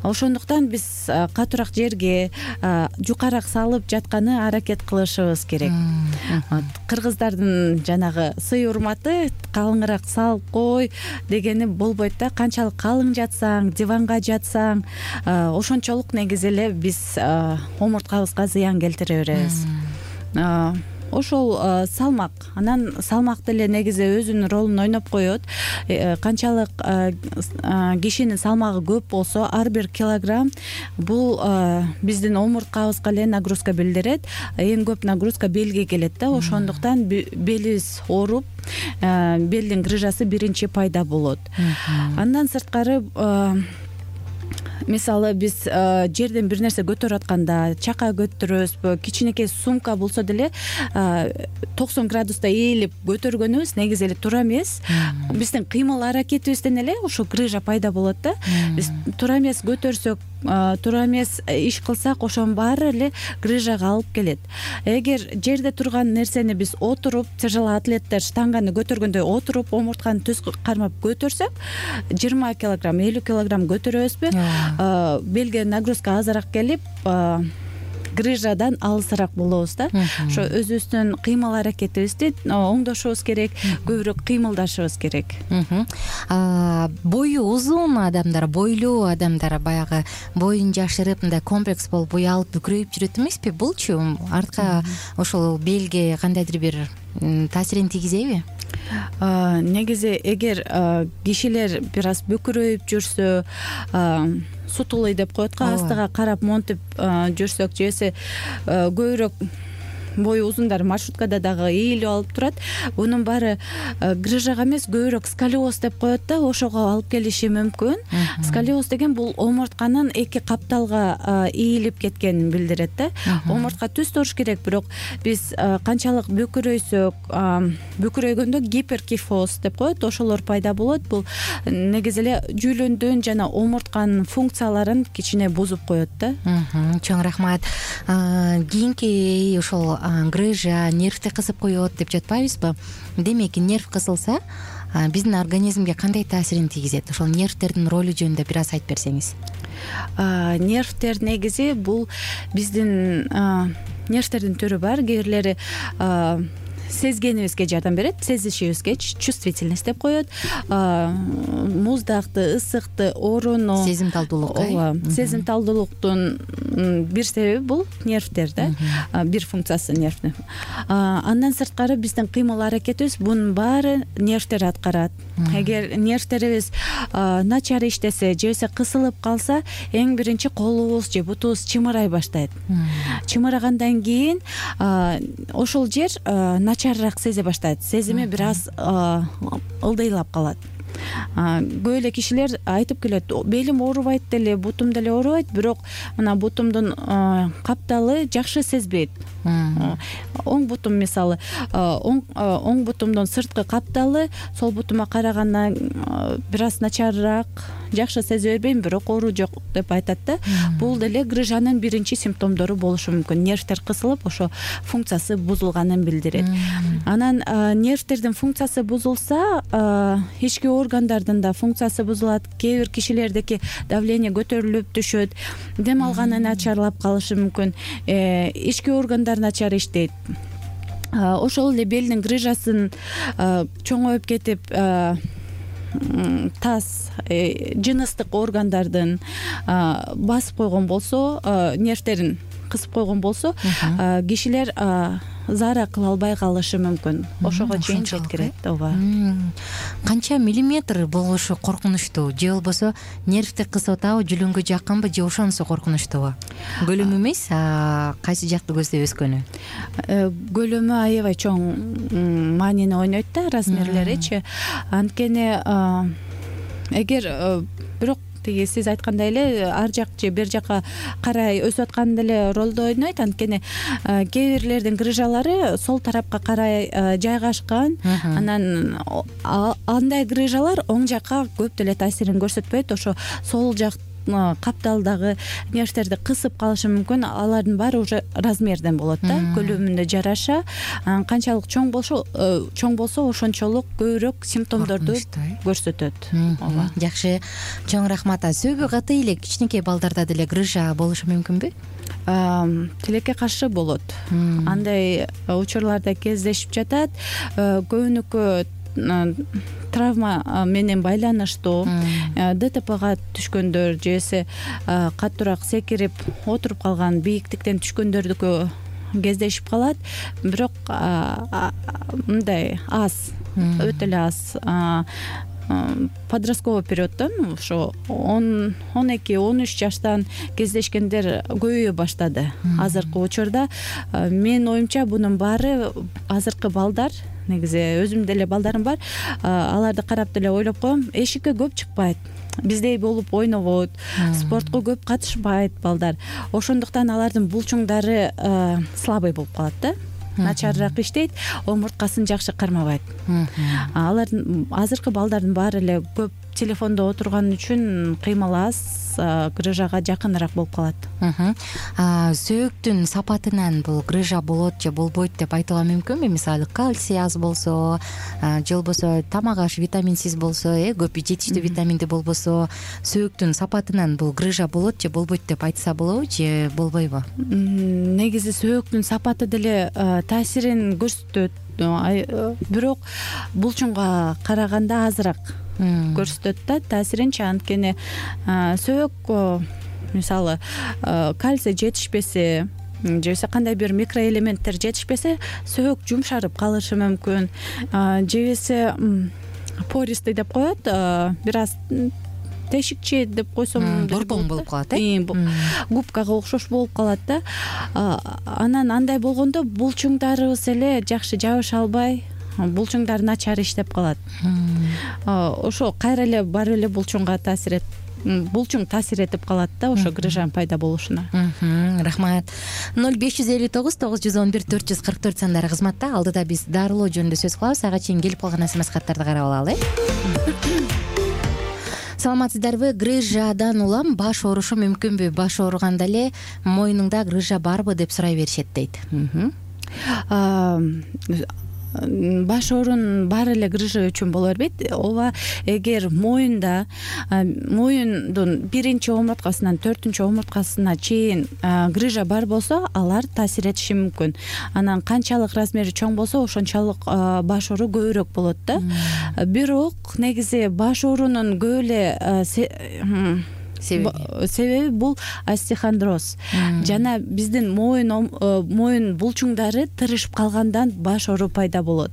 Speaker 3: Ошондуктан биз катуураак жерге жукараак салып жатканы аракет кылышыбыз керек. Кыргыздардын жанагы сый урматы калыңыраак салып кой дегени болбойт да. Канчалык калың жатсаң, диванга жатсаң, ошончолук негизи эле биз омурткабызга зыян келтире беребиз. ошол салмак, анан салмак деле негизи өзүнүн ролун ойноп коет. Канчалык кишинин салмагы көп болсо, ар бир килограмм бул биздин омурткабызга эле нагрузка билдирет. Эң көп нагрузка белге келет да, ошондуктан белибиз ооруп, белдин грыжасы биринчи пайда болот. Андан сырткары мисалы биз жерден бир нерсе көтөрүп атканда, чака көтөрөбүзбү, кичинекей сумка болсо деле токсон градуста ээлип көтөргөнүбүз негизи эле туура эмес. Биздин кыймыл аракетибизден эле ушул грыжа пайда болот да. Биз туура эмес көтөрсөк, туура эмес иш кылсак, ошонун баары эле грыжага алып келет. Эгер жерде турган нерсени биз отуруп, тяжелый атлеттер штанганы көтөргөндөй отуруп, омуртканы түз кармап көтөрсөк, жыйырма килограмм, элүү килограмм көтөрөбүзбү, белге нагрузка азыраак келип, грыжадан алысыраак болобуз да. Ошо өзүбүздүн кыймыл аракетибизди оңдошубуз керек, көбүрөөк кыймылдашыбыз керек.
Speaker 2: Бою узун адамдар, бойлуу адамдар баягы боюн жашырып, мындай комплекс болуп, уялып, бүкрөйүп жүрөт эмеспи? Булчу артка ошол белге кандайдыр бир таасирин тийгизеби?
Speaker 3: Негизи эгер кишилер бир аз бүкрөйүп жүрсө, сутулый деп коет го, астыга карап монтип жүрсөк, жесе көбүрөөк бою узундар маршруткада дагы ээлип алып турат. Бунун баары грыжага эмес, көбүрөөк сколиоз деп коет да, ошого алып келиши мүмкүн. Сколиоз деген бул омуртканын эки капталга ийилип кеткенин билдирет да. Омуртка түз туруш керек, бирок биз канчалык бүкрөйсөк, бүкрөйгөндө гиперкифоз деп коет, ошолор пайда болот. Бул негизи эле жүүлөндүн жана омуртканын функцияларын кичине бузуп коет да.
Speaker 2: Чоң рахмат. Кийинки ошол грыжа нервти кысып коет деп жатпайбызбы? Демек, нерв кысылса, биздин организмге кандай таасирин тийгизет? Ошол нервтердин ролу жөнүндө бир аз айтып берсеңиз.
Speaker 3: Нервтер негизи бул биздин нервтердин түрү бар. Кээ бирлери сезгенибизге жардам берет, сезишибизге, чувствительность деп коет. Муздакты, ысыкты, ооруну,
Speaker 2: сезимталдуулук.
Speaker 3: Ооба, сезимталдуулуктун бир себеби бул нервтер да, бир функциясы нервдин. Андан сырткары биздин кыймыл аракетибиз, бунун баары нервтер аткарат. Эгер нервтерибиз начар иштесе, же болбосо кысылып калса, эң биринчи колубуз же бутубуз чымырай баштайт. Чымырагандан кийин ошол жер начарыраак сезе баштайт. Сезими бир аз ылдыйлап калат. Көп эле кишилер айтып келет, белим оорубайт деле, бутум деле оорубайт, бирок мына бутумдун капталы жакшы сезбейт. Оң бутум мисалы, оң бутумдун сырткы капталы сол бутума караганда бир аз начарыраак, жакшы сезе бербейм, бирок оору жок деп айтат да. Бул деле грыжанын биринчи симптомдору болушу мүмкүн. Нервтер кысылып, ошо функциясы бузулганын билдирет. Анан нервтердин функциясы бузулса, ички органдардын да функциясы бузулат. Кээ бир кишилердики давление көтөрүлүп түшөт, дем алганы начарлап калышы мүмкүн, ички органдар начар иштейт. Ошол эле белдин грыжасын чоңоюп кетип, таз, жыныстык органдардын басып койгон болсо, нервтерин кысып койгон болсо, кишилер заара кыла албай калышы мүмкүн. Ошого чейин жеткирет. Ооба.
Speaker 2: Канча миллиметр болушу коркунучтуу? Же болбосо нервти кысып атабы, жүлүнгө жакынбы, же ошонусу коркунучтуубу? Көлөмү эмес, кайсы жакты көздөп өскөнү?
Speaker 3: Көлөмү аябай чоң маанини ойнойт да, размерлеричи. Анткени эгер бирок тиги сиз айткандай эле ар жак же бер жакка карай өсүп аткан деле ролду ойнойт. Анткени кээ бирлердин грыжалары сол тарапка карай жайгашкан. Анан андай грыжалар оң жакка көп деле таасирин көрсөтпөйт. Ошо сол жак капталдагы нервтерди кысып калышы мүмкүн. Алардын баары уже размерден болот да, көлөмүнө жараша. Канчалык чоң болсо, чоң болсо ошончолук көбүрөөк симптомдорду көрсөтөт. Ооба.
Speaker 2: Жакшы, чоң рахмат. Сөөгү каты эле кичинекей балдарда деле грыжа болушу мүмкүнбү? Тилекке
Speaker 3: каршы болот. Андай учурларда кездешип жатат. Көбүнүкү травма менен байланыштуу, ДТПга түшкөндөр, жесе каттуураак секирип отуруп калган, бийиктиктен түшкөндөрдүкү кездешип калат, бирок мындай аз, өтө эле аз. Подростковый периоддон ошо он он эки он үч жаштан кездешкендер көбөйө баштады азыркы учурда. Менин оюмча бунун баары азыркы балдар, негизи өзүмдүн деле балдарым бар, аларды карап деле ойлоп коем, эшикке көп чыкпайт, биздей болуп ойнобойт, спортко көп катышпайт балдар. Ошондуктан алардын булчуңдары слабый болуп калат да, начарыраак иштейт, омурткасын жакшы кармабайт. Алардын азыркы балдардын баары эле көп телефондо отурган үчүн кыймыл аз, грыжага жакыныраак болуп калат.
Speaker 2: Сөөктүн сапатынан бул грыжа болот же болбойт деп айтууга мүмкүнбү? Мисалы кальций аз болсо же болбосо тамак аш витаминсиз болсо, э көп жетиштүү витаминди болбосо, сөөктүн сапатынан бул грыжа болот же болбойт деп айтса болобу же болбойбу?
Speaker 3: Негизи сөөктүн сапаты деле таасирин көрсөтөт, бирок булчуңга караганда азыраак көрсөтөт да таасиринчи. Анткени сөөк мисалы кальций жетишпесе же болбосо кандай бир микроэлементтер жетишпесе, сөөк жумшарып калышы мүмкүн, же болбосо пористый деп коет, бир аз тешикчи деп койсом
Speaker 2: борбоң болуп калат, э
Speaker 3: губкага окшош болуп калат да. Анан андай болгондо булчуңдарыбыз эле жакшы жабыша албай, булчуңдар начар иштеп калат. Ошо кайра эле барып эле булчуңга таасир эт булчуң таасир этип калат да ошо грыжанын пайда болушуна.
Speaker 2: Рахмат. ноль беш жүз элүү тогуз тогуз жүз он бир төрт жүз кырк төрт сандары кызматта. Алдыда биз дарылоо жөнүндө сөз кылабыз. Ага чейин келип калган смс каттарды карап алалы. Саламатсыздарбы? Грыжадан улам баш оорушу мүмкүнбү? Баш ооруганда эле мойнуңда грыжа барбы деп сурай беришет дейт.
Speaker 3: Баш оорунун баары эле грыжа үчүн боло бербейт. Ооба, эгер моюнда, моюндун биринчи омурткасынан төртүнчү омурткасына чейин грыжа бар болсо, алар таасир этиши мүмкүн. Анан канчалык размери чоң болсо, ошончалык баш оору көбүрөөк болот да. Бирок негизи баш оорунун көп эле себеби себеби бул остеохондроз жана биздин моюн моюн булчуңдары тырышып калгандан баш оору пайда болот.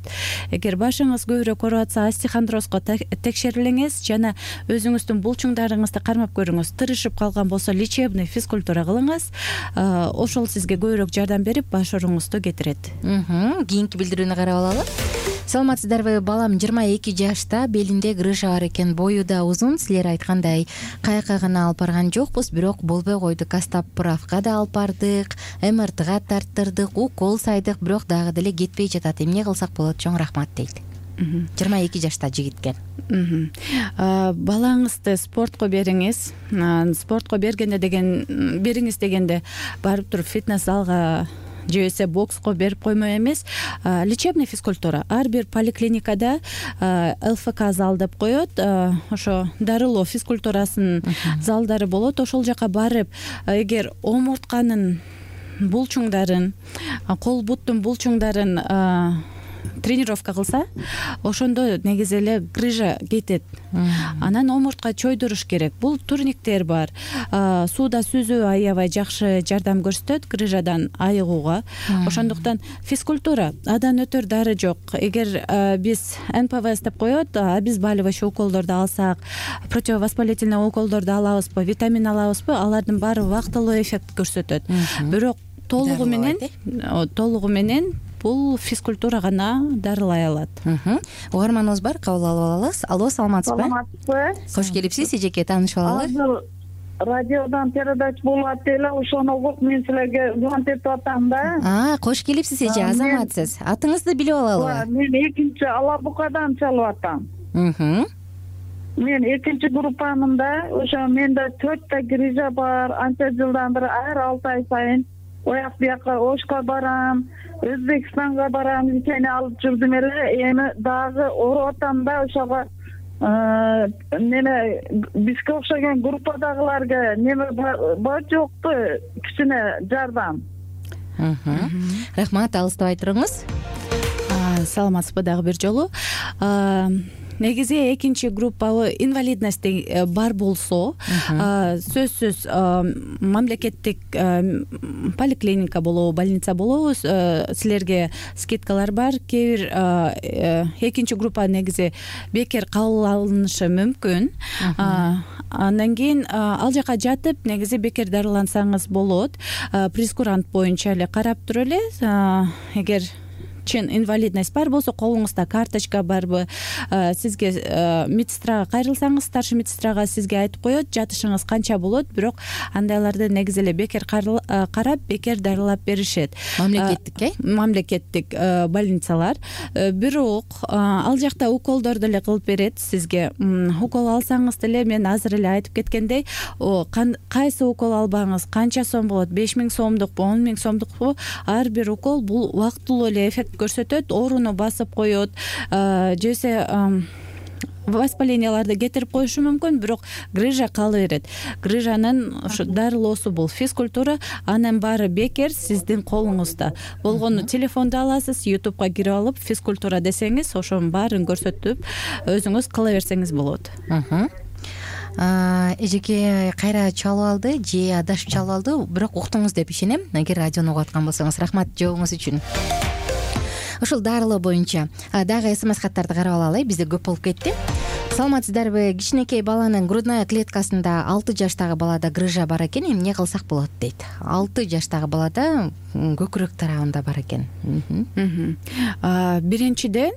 Speaker 3: Эгер башыңыз көбүрөөк ооруп атса, остеохондрозго текшерилиңиз жана өзүңүздүн булчуңдарыңызды кармап көрүңүз. Тырышып калган болсо, лечебный физкультура кылыңыз. Ошол сизге көбүрөөк жардам берип, баш ооруңузду кетирет.
Speaker 2: Кийинки билдирүүнү карап алалы. Саламатсыздарбы? Балам жыйырма эки жашта, белинде грыжа бар экен, бою да узун. Силер айткандай каяка гана алып барган жокпуз, бирок болбой койду. Кастап-правка да алып бардык, эм эр тыга тарттырдык, укол сайдык, бирок дагы деле кетпей жатат. Эмне кылсак болот? Чоң рахмат дейт. жыйырма эки жашта жигиткен.
Speaker 3: Балаңызды спортко бериңиз. Спортко бергенде деген бериңиз дегенде барып туруп фитнес залга же болбосо бокско берип коймой эмес, лечебный физкультура. Ар бир поликлиникада эл эф ка зал деп коет, ошо дарылоо физкультурасынын залдары болот. Ошол жака барып, эгер омуртканын булчуңдарын, кол буттун булчуңдарын тренировка кылса, ошондо негизи эле грыжа кетет. Анан омуртка чойдуруш керек. Бул турниктер бар. Сууда сүзүү аябай жакшы жардам көрсөтөт грыжадан айыгууга. Ошондуктан физкультура, адан өтөр дары жок. Эгер биз эн пэ вэ эс деп коет, обезболивающий уколдорду алсак, противовоспалительный уколдорду алабызбы, витамин алабызбы, алардын баары убактылуу эффект көрсөтөт. Бирок толугу менен толугу менен бул физкультура гана дарылай алат.
Speaker 2: Угарманыбыз бар, кабыл алып алабыз. Алло, саламатсызбы?
Speaker 5: Саламатсызбы?
Speaker 2: Кош келипсиз, эжеке, таанышып алалы.
Speaker 5: Азыр радиодан передач болуп атты эле, ошону угуп мен силерге звонок этип атам да.
Speaker 2: А, кош келипсиз, эже, азаматсыз. Атыңызды билип алалыбы?
Speaker 5: Мен экинчи Ала Букадан чалып атам. Мен экинчи группамын да, ошо менде төрттө грыжа бар. Анча жылдан бери ар алты ай сайын ояк бияка Ошко барам, Өзбекстанга барам, лечение алып жүрдүм эле. Эми дагы ооруп атам да, ошого неме бизге окшогон группадагыларга неме бар жокпу, кичине жардам.
Speaker 2: Рахмат, алыстабай туруңуз.
Speaker 3: Саламатсызбы дагы бир жолу. негизи экинчи группа инвалидность бар болсо сөзсүз мамлекеттик поликлиника болобу, больница болобу, силерге скидкалар бар. Кээ бир экинчи группа негизи бекер кабыл алынышы мүмкүн. Андан кийин ал жака жатып негизи бекер дарылансаңыз болот. Прескурант боюнча эле карап туруп эле, эгер чын инвалидность бар болсо, колуңузда карточка барбы, сизге медсестрага кайрылсаңыз, старший медсестрага сизге айтып коет жатышыңыз канча болот, бирок андайларды негизи эле бекер карап, бекер дарылап беришет.
Speaker 2: Мамлекеттик, э?
Speaker 3: Мамлекеттик больницалар. Бирок ал жакта уколдорду эле кылып берет сизге. Укол алсаңыз деле, мен азыр эле айтып кеткендей, кайсы укол албаңыз, канча сом болот, беш миң сомдукпу, он миң сомдукпу, ар бир укол бул убактылуу эле эффект көрсөтөт, ооруну басып коет, жесе воспаленияларды кетирип коюшу мүмкүн, бирок грыжа кала берет. Грыжанын ушу дарылоосу бул физкультура, анын баары бекер сиздин колуңузда. Болгону телефонду аласыз, ютубка кирип алып, физкультура десеңиз, ошонун баарын көрсөтүп, өзүңүз кыла берсеңиз болот.
Speaker 2: Эжеке кайра чалып алды же адашып чалып алды, бирок уктуңуз деп ишенем. Эгер радиону угуп аткан болсоңуз, рахмат жообуңуз үчүн. Ушул дарылоо боюнча дагы смс каттарды карап алалы, бизде көп болуп кетти. Саламатсыздарбы? Кичинекей баланын грудная клеткасында алты жаштагы балада грыжа бар экен, эмне кылсак болот дейт. алты жаштагы балада көкүрөк тарабында бар экен.
Speaker 3: Биринчиден,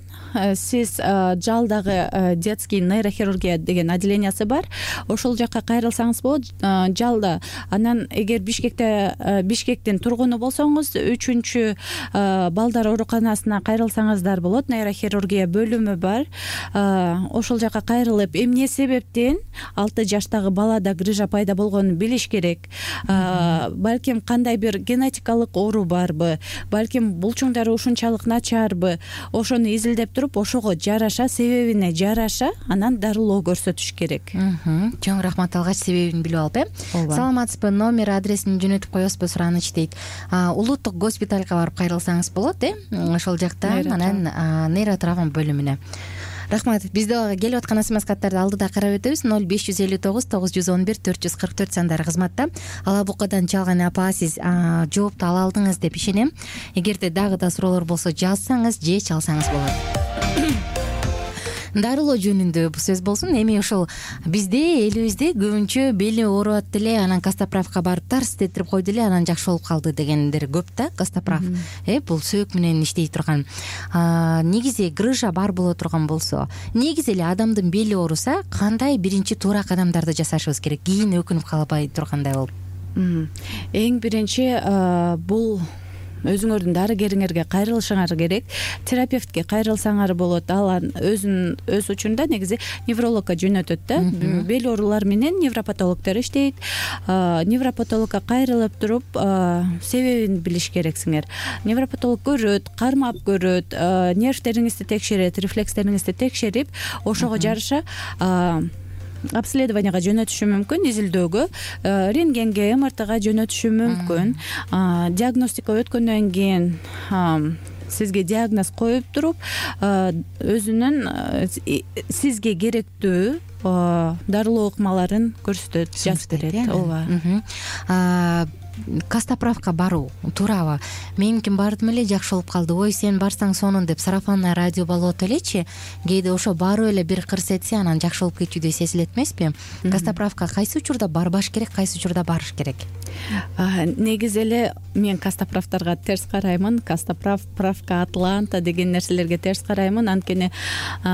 Speaker 3: сиз жалдагы детский нейрохирургия деген отделениясы бар. Ошол жака кайрылсаңыз болот. Жалда. Анан эгер Бишкекте Бишкектин тургуну болсоңуз, үчүнчү балдар ооруканасына кайрылсаңыздар болот. Нейрохирургия бөлүмү бар. Ошол жака кайрылып, эмне себептен алты жаштагы балада грыжа пайда болгонун билиш керек. Балким кандай бир генетикалык оору барбы, балким булчуңдары ушунчалык начарбы, ошону изилдеп туруп, ошого жараша, себебине жараша, анан дарылоо көрсөтүш керек.
Speaker 2: Чоң рахмат, алгач себебин билип алып, э? Саламатсызбы? Номер, адресин жөнөтүп коесузбу, сураныч дейт. Улуттук госпитальга барып кайрылсаңыз болот, э? Ошол жакта анан нейротравма бөлүмүнө. Рахмат. Бизде келип аткан смс каттарды алдыда карап өтөбүз. ноль беш жүз элүү тогуз тогуз жүз он бир төрт жүз кырк төрт сандары кызматта. Ала Букадан чалган апа, сиз жоопту ала алдыңыз деп ишенем. Эгерде дагы да суроолор болсо жазсаңыз же чалсаңыз болот. Дарылоо жөнүндө сөз болсун. Эми ошол бизде элибизде көбүнчө бели ооруп деле, анан Кастаправка барып тарс тетирип койду эле, анан жакшы болуп калды дегендер көп да. Кастаправ э бул сөөк менен иштей турган. Негизи грыжа бар боло турган болсо, негизи эле адамдын бели ооруса, кандай биринчи туура кадамдарды жасашыбыз керек? Кийин өкүнүп калбай тургандай болуп.
Speaker 3: Эң биринчи бул өзүңөрдүн дарыгериңерге кайрылышыңар керек. Терапевтке кайрылсаңар болот. Ал өзүн өз учурунда негизи неврологко жөнөтөт да. Бел оорулар менен невропатологдор иштейт. Невропатологко кайрылып туруп, себебин билиш керексиңер. Невропатолог көрөт, кармап көрөт, нервтериңизди текшерет, рефлекстериңизди текшерип, ошого жараша обследованияга жөнөтүшү мүмкүн, изилдөөгө, рентгенге, эм эр тэга жөнөтүшү мүмкүн. Диагностика өткөндөн кийин сизге диагноз коюп туруп, өзүнүн сизге керектүү дарылоо ыкмаларын көрсөтөт, жазып берет. Ооба.
Speaker 2: Кастаправка баруу туурабы? Мен ким бардым эле, жакшы болуп калды. Ой, сен барсаң сонун деп сарафанный радио болот элечи. Кээде ошо барып эле бир кырс этсе, анан жакшы болуп кетчүдөй сезилет эмеспи? Кастаправка кайсы учурда барбаш керек, кайсы учурда барыш керек?
Speaker 3: Негизи эле мен кастаправтарга терс караймын. Кастаправ, правка, Атланта деген нерселерге терс караймын. Анткени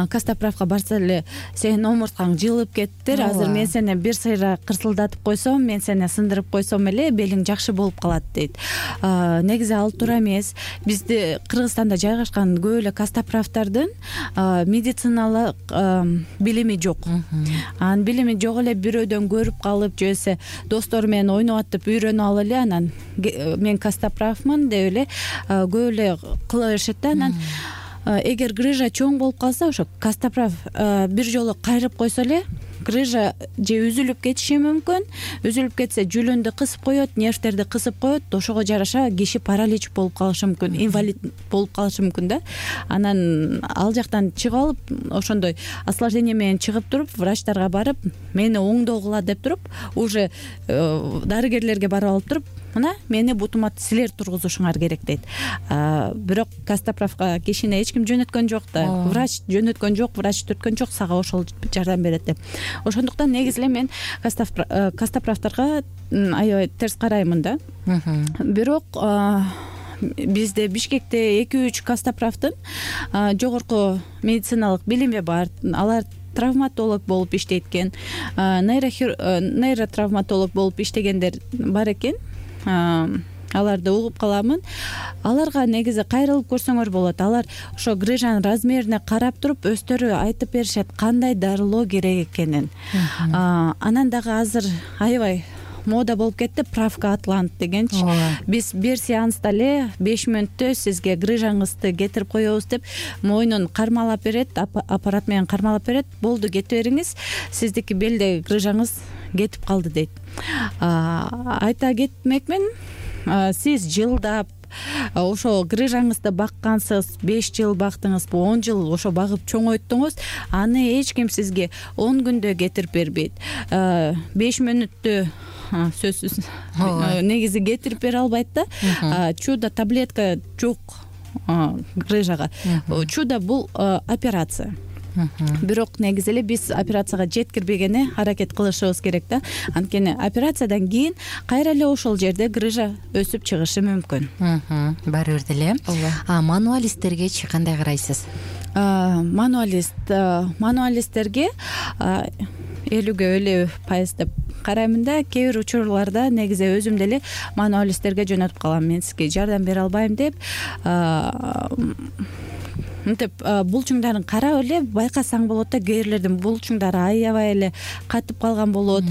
Speaker 3: кастаправка барса эле сенин омурткаң жылып кеттир. Азыр мен сени бир сыйра кырсылдатып койсом, мен сени сындырып койсом эле белиң жакшы болуп калат дейт. Негизи ал туура эмес. Бизде Кыргызстанда жайгашкан көп эле кастаправтардын медициналык билими жок. Анын билими жок эле, бирөөдөн көрүп калып, жесе достору менен ойноп атып үйрөнүп алып эле, анан мен кастаправмын деп эле көп эле кыла беришет да. Анан эгер грыжа чоң болуп калса, ошо кастаправ бир жолу кайрып койсо эле грыжа же үзүлүп кетиши мүмкүн. Үзүлүп кетсе жүлүндү кысып коет, нервтерди кысып коет, ошого жараша киши паралич болуп калышы мүмкүн, инвалид болуп калышы мүмкүн да. Анан ал жактан чыгып алып, ошондой осложнение менен чыгып туруп, врачтарга барып, мени оңдогула деп туруп, уже дарыгерлерге барып алып туруп, мына мени бутума силер тургузушуңар керек дейт. Бирок Костоправга кишини эч ким жөнөткөн жок да. Врач жөнөткөн жок, врач түрткөн жок, сага ошол жардам берет деп. Ошондуктан негизи эле мен Костоправдарга аябай терс караймын да. Бирок бизде Бишкекте эки үч Костоправдын жогорку медициналык билими бар. Алар травматолог болуп иштейт-экен, нейротравматолог болуп иштегендер бар экен. Аларды угуп каламын. Аларга негизи кайрылып көрсөңөр болот. Алар ошо грыжанын размерине карап туруп өздөрү айтып беришет кандай дарылоо керек экенин. Анан дагы азыр аябай мода болуп кетти, правка атлант дегенчи. Биз бир сеанста эле беш мүнөттө сизге грыжаңызды кетирип коебуз деп мойнун кармалап берет, аппарат менен кармалап берет. Болду, кете бериңиз, сиздики белдеги грыжаңыз кетип калды дейт. Айта кетмекмин, сиз жылдап ошо грыжаңызды баккансыз, беш жыл бактыңызбы, он жыл ошо багып чоңойттуңуз, аны эч ким сизге он күндө кетирип бербейт. беш мүнөттө сөзсүз негизи кетирип бере албайт да. Чудо таблетка жок грыжага. Чудо бул операция. Бирок негизи эле биз операцияга жеткирбегени аракет кылышыбыз керек да. Анткени операциядан кийин кайра эле ошол жерде грыжа өсүп чыгышы мүмкүн.
Speaker 2: Баары бир деле. А мануалисттергечи кандай карайсыз?
Speaker 3: Мануалист, мануалисттерге элүүгө элүү пайыз деп караймын да. Кээ бир учурларда негизи өзүм деле мануалисттерге жөнөтүп калам. Мен сизге жардам бере албайм деп. Мынтип булчуңдарын карап эле байкасаң болот да, кээрлердин булчуңдары аябай эле катып калган болот.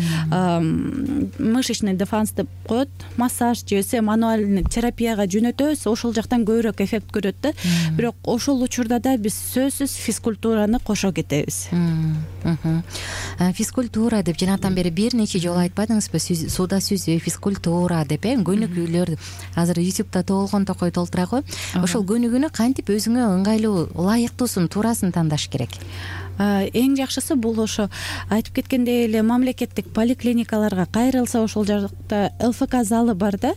Speaker 3: Мышечный дефанс деп коет, массаж же болбосо мануальный терапияга жөнөтөбүз, ошол жактан көбүрөөк эффект көрөт да. Бирок ошол учурда да биз сөзсүз физкультураны кошо кетебиз.
Speaker 2: Физкультура деп жанатан бери бир нече жолу айтпадыңызбы? Сууда сүзүү, физкультура деп э көнүгүүлөр азыр ютубта толгон токой толтура го. Ошол көнүгүүнү кантип өзүңө ыңгайлуу, ылайыктуусун, туурасын тандаш керек?
Speaker 3: Эң жакшысы бул ошо айтып кеткендей эле мамлекеттик поликлиникаларга кайрылса, ошол жакта эл эф ка залы бар да.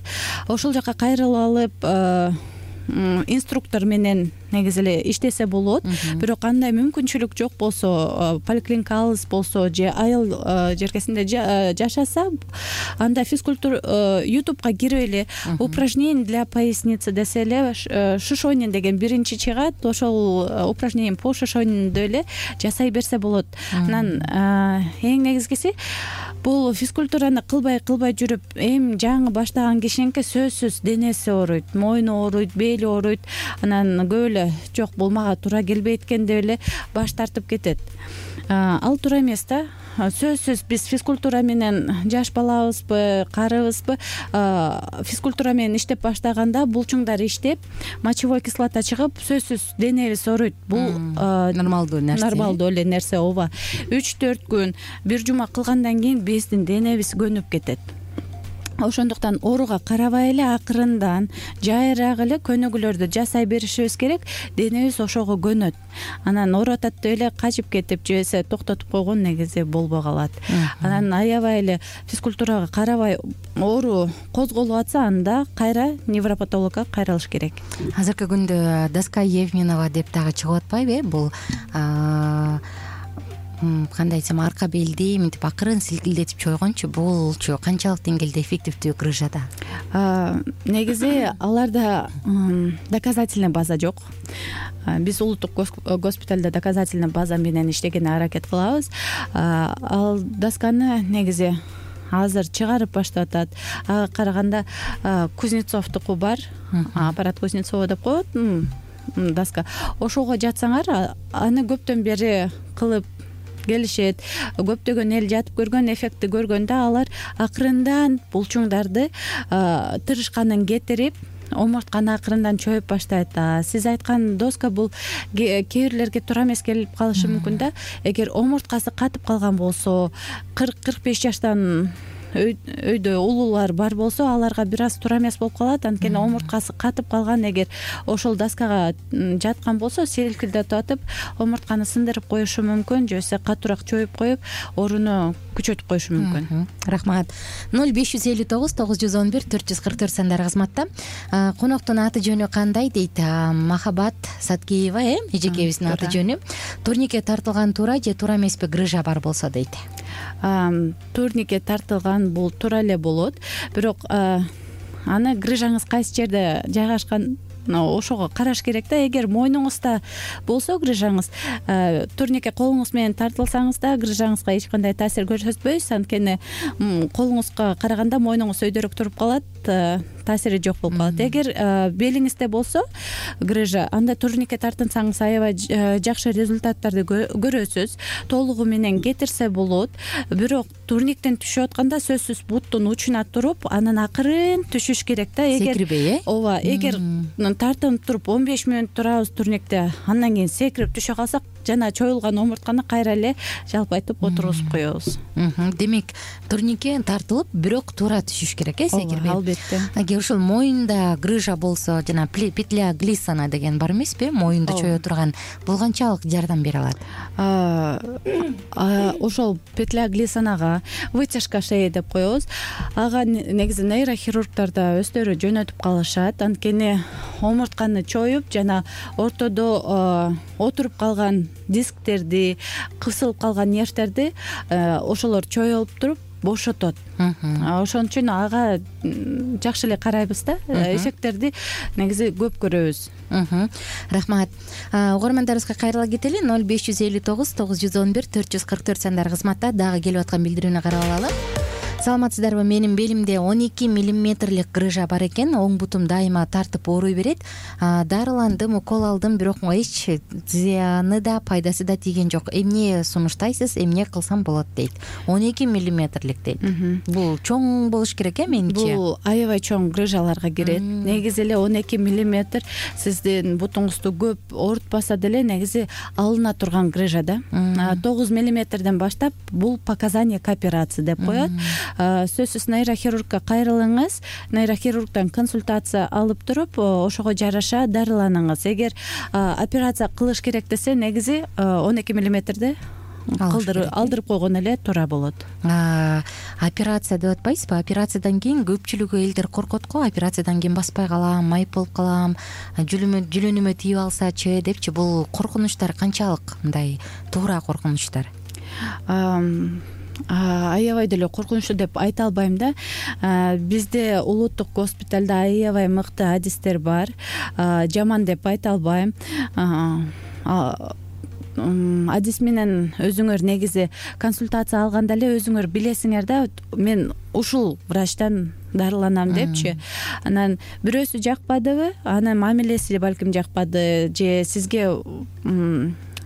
Speaker 3: Ошол жака кайрылып алып инструктор менен негизи эле иштесе болот. Бирок андай мүмкүнчүлүк жок болсо, поликлиника алыс болсо же айыл жеркесинде жашаса, анда физкультура ютубка кирип эле упражнение для поясницы десе эле шишонин деген биринчи чыгат. Ошол упражнение по шишонинду эле жасай берсе болот. Анан эң негизгиси бул физкультураны кылбай кылбай жүрүп, эми жаңы баштаган кишининки сөзсүз денеси ооруйт, мойну ооруйт, бели ооруйт. Анан көп эле жок, бул мага туура келбейт экен деп эле баш тартып кетет. Ал туура эмес да. Сөзсүз биз физкультура менен жаш балабызбы, карыбызбы, физкультура менен иштеп баштаганда булчуңдар иштеп, мочевой кислота чыгып, сөзсүз денебиз ооруйт. Бул
Speaker 2: нормалдуу нерсе.
Speaker 3: Нормалдуу эле нерсе, ооба. үч төрт күн, бир жума кылгандан кийин биздин денебиз көнүп кетет. Ошондуктан ооруга карабай эле акырындан жайыраак эле көнүгүүлөрдү жасай беришибиз керек. Денебиз ошого көнөт. Анан оорутат деп эле качып кетип же болбосо токтотуп койгон негизи болбой калат. Анан аябай эле физкультурага карабай оору козголуп атса, анда кайра невропатологко кайрылыш керек.
Speaker 2: Азыркы күндө доска Евменова деп дагы чыгып атпайбы э? Бул кандай айтсам, арка белди мынтип акырын силкилдетип чойгончу, булчу канчалык деңгээлде эффективдүү грыжада?
Speaker 3: Негизи аларда доказательный база жок. Биз улуттук госпиталда доказательный база менен иштегенге аракет кылабыз. Ал досканы негизи азыр чыгарып баштап атат. Ага караганда Кузнецовдуку бар, аппарат Кузнецова деп коет доска. Ошого жатсаңар, аны көптөн бери кылып келишет. Көптөгөн эл жатып көргөн, эффектти көргөндө алар акырындан булчуңдарды тырышканын кетирип, омуртканы акырындан чоюп баштайт. Сиз айткан доска бул кээ бирлерге туура эмес келип калышы мүмкүн да. Эгер омурткасы катып калган болсо, кырк кырк беш жаштан өйдө улуулар бар болсо, аларга бир аз туура эмес болуп калат. Анткени омурткасы катып калган, эгер ошол доскага жаткан болсо, селкилдетип атып омуртканы сындырып коюшу мүмкүн, же болбосо катуураак чоюп коюп, ооруну күчөтүп коюшу мүмкүн.
Speaker 2: Рахмат. ноль беш жүз элүү тогуз тогуз жүз он бир төрт жүз кырк төрт сандары кызматта. Коноктун аты жөнү кандай дейт? Махабат Саткеева, э, эжекебиздин аты жөнү. Турникке тартылган туура же туура эмеспи, грыжа бар болсо дейт.
Speaker 3: Турникке тартылган бул туура эле болот, бирок аны грыжаңыз кайсы жерде жайгашкан ошого караш керек да. Эгер мойнуңузда болсо грыжаңыз, турникке колуңуз менен тартылсаңыз да грыжаңызга эч кандай таасир көрсөтпөйсүз. Анткени колуңузга караганда мойнуңуз өйдөрөөк туруп калат, таасири жок болуп калат. Эгер белиңизде болсо грыжа, анда турникке тартынсаңыз аябай жакшы результаттарды көрөсүз. Толугу менен кетирсе болот. Бирок турниктен түшүп атканда сөзсүз буттун учуна туруп, анан акырын түшүш керек да. Эгер
Speaker 2: секирбей, э?
Speaker 3: Ооба, эгер тартынып туруп он беш мүнөт турабыз турникте, андан кийин секирип түшө калсак, жана чоюлган омуртканы кайра эле жалпайтып отургузуп коебуз.
Speaker 2: Демек, турникке тартылып, бирок туура түшүш керек, э, секирбей.
Speaker 3: Албетте.
Speaker 2: Эгер ушул моюнда грыжа болсо, жана петля глиссана деген бар эмеспи, моюнду чое турган, бул канчалык жардам бере алат?
Speaker 3: Ошол петля глиссанага вытяжка шеи деп коебуз. Ага негизи нейрохирургдар да өздөрү жөнөтүп калышат. Анткени омуртканы чоюп, жана ортодо отуруп калган дисктерди, кысылып калган нервтерди ошолор чоюлуп туруп бошотот. Ошон үчүн ага жакшы эле карайбыз да. Эффекттерди негизи көп көрөбүз.
Speaker 2: Рахмат. Угармандарыбызга кайрыла кетели. ноль беш жүз элүү тогуз тогуз жүз он бир төрт жүз кырк төрт сандары кызматта. Дагы келип аткан билдирүүнү карап алалы. Саламатсыздарбы? Менин белимде он эки миллиметрлик грыжа бар экен. Оң бутум дайыма тартып ооруй берет. Дарыландым, укол алдым, бирок эч зыяны да, пайдасы да тийген жок. Эмне сунуштайсыз, эмне кылсам болот дейт. он эки миллиметрлик дейт. Бул чоң болуш керек, э, менимче.
Speaker 3: Бул аябай чоң грыжаларга кирет. Негизи эле он эки миллиметр сиздин бутуңузду көп оорутпаса деле негизи алына турган грыжа да. тогуз миллиметрден баштап бул показание к операции деп коет. Сөзсүз нейрохирургка кайрылыңыз, нейрохирургдан консультация алып туруп, ошого жараша дарыланыңыз. Эгер операция кылыш керек десе, негизи он эки миллиметрде алдырып койгон эле туура болот.
Speaker 2: Операция деп атпайсызбы? Операциядан кийин көпчүлүгү элдер коркот го. Операциядан кийин баспай калам, майып болуп калам, жүлөнүмө тийип алсачы депчи. Бул коркунучтар канчалык мындай туура коркунучтар?
Speaker 3: Аябай деле коркунучтуу деп айта албайм да. Бизде улуттук госпиталда аябай мыкты адистер бар. Жаман деп айта албайм. Адис менен өзүңөр негизи консультация алганда эле өзүңөр билесиңер да, мен ушул врачтан дарыланам депчи. Анан бирөөсү жакпадыбы, анан мамилеси балким жакпады, же сизге